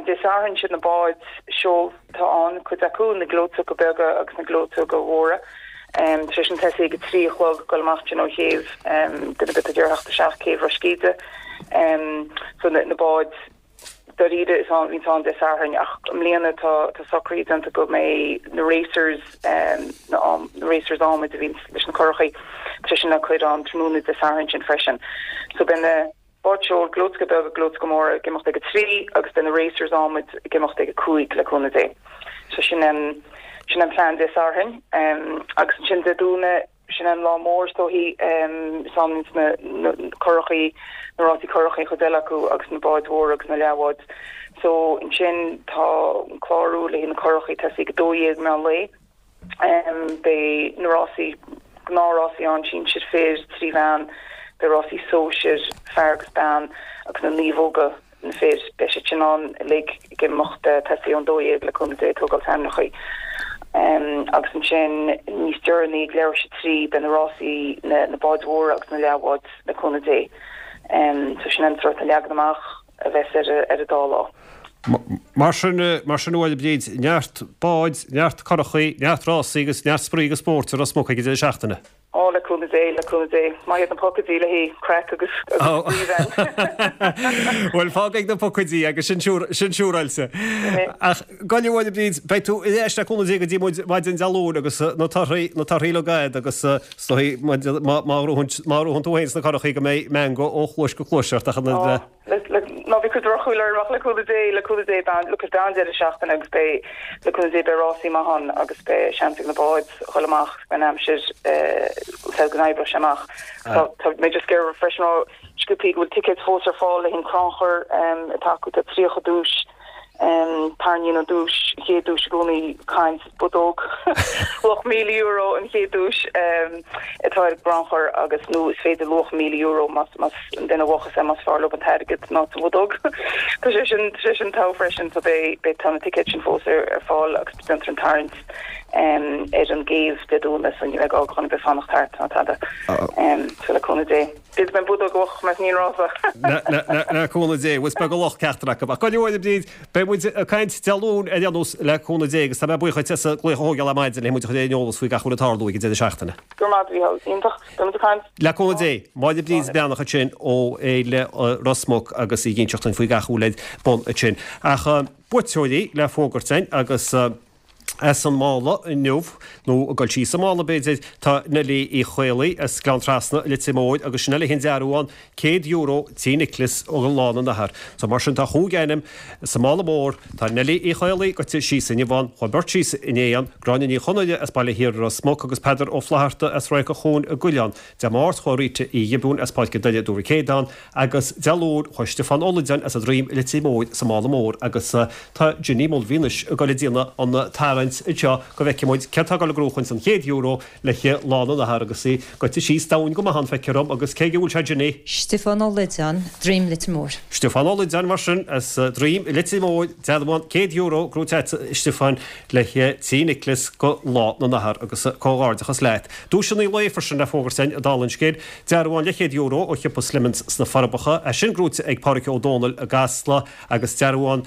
Dé Sathairn siad na báid seol atá ann, cuid acu, na gleoiteoga beaga agus na gleoiteoga mhóra. Tá sé sin tosaí ag a 3 a chlog, ag dul amach ansin ó chéibh, duine ar bith atá ag iarraidh theacht isteach céibh Ros Céide. So na báid dáiríre is ann, bhíonns ann Dé Sathairn ach i mbliana tá tá socruithe déanta go mbeidh na racers, na racers adhmaid a bhíonns leis na curachaí, tá sé sin le cur ann tráthnóna Dé Sathairn sin freisin. So beidh na. Báid seoil, gleoiteoga beaga, gleoiteoga móra ag imeacht ag a 3 agus beidh na racers adhmaid ag imeacht ag a 5 le cúnamh Dé. So sin an, sin an plean Dé Sathairn. Agus ansin Dé Domhnaigh, sin an lá mór is dóichí, is ann a bhíonns na, na curachaí, na rásaí curachaí an chuid eile acu agus na báid mhóra agus na leathbháid. So ansin tá an clárú le haghaidh na curachaí tosaí ag 12 meán lae. Beidh na rásaí, gnáthrásaí ann, sinsir fir, 3 bhean, beidh rásaí sóisir, fear agus bean, agus na naomhóga, na fir, beidh siad sin ann uilig ag imeacht tosaí ón 12 le cúnamh Dé ag tógáil t-ainmneachaí. Agus ansin níos deireanaí ag leathuair théis a 3 beidh na rásaí, na báid mhóra agus na leathbháid le cúnamh Dé. So sin an sórt leagan amach. a bheas ar an dá lá. Mar sin, mar sin a Mháire Bríd, neart báid, neart curachaí, neart rásaí agus neart spraoi agus spóirt i Ros Muc ag an deireadh seachtaine. Ó, le cúnamh Dé, le cúnamh Dé. Maith iad na pocaidí le haghaidh craic agus spraoi then. Bhuel, fág ag na pocaidí agus sin sin siúráilte. Ach gabh i leith a Mháire Bríd, beidh tú ar ais le cúnamh Dé go dtí muid maidin Dé Luain agus na torthaí, na torthaí uilig a'd agus Is dóigh, má ghnóthaíonn tú féin sna curachaí go mbeidh meangadh ó chluais go cluais ort ach an oiread le. Ná bí ag cur drochshúil orm ach le cúnamh Dé, le cúnamh Dé, beidh, look, beidh an-deireadh seachtaine agus beidh, le cúnamh Dé, beidh rásaí maith ann agus beidh seans ag na báid dhul amach beidh an aimsir said go n-oibreoidh sé amach. Tá, tá mé just ag iarraidh freisin rá sciobthaí go bhfuil ticéid fós ar fáil le haghaidh an crannchur atá acu, tá 30 duais. Tarraingíonn an duais, chéad duais i gcónaí, caint budóg luach €1,000 an chéad duais atá ar an gcrannchur agus nó is féidir luach €1,000 más más an duine a bhuachas é más fearr leo an t-airgead ná sa bhudóg. Tá sé sin tá sé sin togha freisin so beidh beidh tá na ticéid sin fós ar ar fáil agus déantar an tarraingt ar an gcéibh Dé Domhnaigh so ní bheidh gá do dhuine ar bith fanacht thart ná tada. So le cúnamh Dé. Is mé budóg a bhuachan más ní an rása. Le cúnamh Dé, is beag an locht ceachtar acu. Ach go leor, a Bhríd, beidh muid ag caint Dé Luain ar aon nós le cúnamh Dé agus tá mé buíoch dhuit as an glaoch a thógáil ar maidin le muid a chur ar an eolas faoi gach a bhfuil ag tarlú ag an deireadh seachtaine. Go raibh maith agat, a Mhícheáil. Iontach. Beidh muid ag caint. Le cúnamh Dé. Máire Bríd Breathnach ansin ó Fhéile Ros Muc agus í ag inseacht dúinn faoi gach a bhfuil ar bun ansin. Ach buaiteoirí le fógairt againn agus. As an mála inniu, nó ag dul síos an mála b'fhéidir, tá Neilí Uí Chaollaí as Gleann Trasna i Leitir Móir agus sin é léi an dearbhán €100 Tí Niocláis do Lá na nAthar. So mar sin tá chúig ainm sa mála mór, tá Neilí Uí Chaollaí goite síos inniu ann, chuaigh beirt síos inné ann, Gráinne Ní Chonaire as Baile Thiar i Ros Muc agus Peadar Ó Flaithearta as Radharc an Chuain i gCuilleán. Dé Máirt chuaigh Rita Uí Ghiobúin as Páirc an Doire i dTuar an Chéadáin agus Dé Luain chuaigh Stiofán Ó Loideáin as an Droim i Leitir Móir sa mála mór agus tá Ginny Mulvey anois ag dul ag déanamh an tarraingt anseo go bhfeicfidh muid cé atá ag dul ag gnóchaint an chéad euro le Lá na nAthar agus í goite síos domhain go maith ann feictear dom agus cé aige a bhfuil sé Ginny? Stiofán Ó Loideáin, Droim Leitir Móir. Stiofán Ó Loideáin mar sin as Droim i Leitir Móir, dearbhán €100 gnóite agat a Stiofáin le Tí Niocláis go Lá na nAthar agus comhghairdeachas leat. Duaiseanna an lae freisin le fógairt againn dála an scéil. Dearbhán leathchéad euro ó shiopa Slemons sna Forbacha, é sin gnóite ag Pádraig Ó Dónaill i gCasla agus dearbhán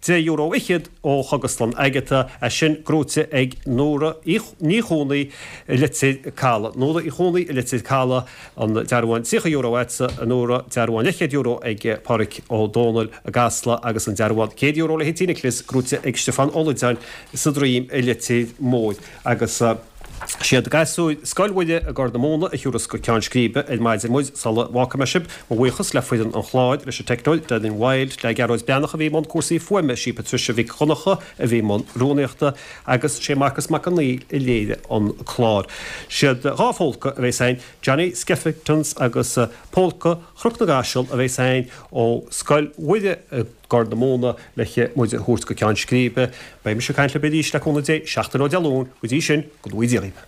deich euro fhichead ó Chógaslann Agatha, é sin gnóite ag Nóra Ní Chónaí i Leitir Caladh. Nóra Uí Chónaí i Leitir Caladh, an dearbhán €30 agatsa, a Nóra, dearbhán leathchéad euro ag Pádraig Ó Dónaill i gCasla agus an dearbhán €100 le Tí Niocláis gnóite ag Stiofán Ó Loideáin sa Droim i Leitir Móir agus. Siad gasúir Scoil Mhuire i gCorr na Móna a thiúrfas go ceann scríbe ar maidin muid sula bhfágfaidh mé sibh. Mo bhuíochas le foireann an chláir, leis an teicneoir Declan Wilde, le Gearóid Breathnach a bhí i mbun cúrsaí fuaime, sí Patricia Mhic Dhonncha a bhí i mbun rúnaíochta agus sé Marcas Mac Con Néill a léirigh an clár. Siad dá phólca a bheas againn, Johnny Skeffington's agus Pólca Chnoc na gCaiseal a bheas againn ó Scoil Mhuire i gCorr na Móna le muid a thabhairt go ceann scríbe. Beidh mise ag caint libh arís le cúnamh Dé seachtain ó Dé Luain. Go dtí sin, go ngnóthaí Dia dhaoibh.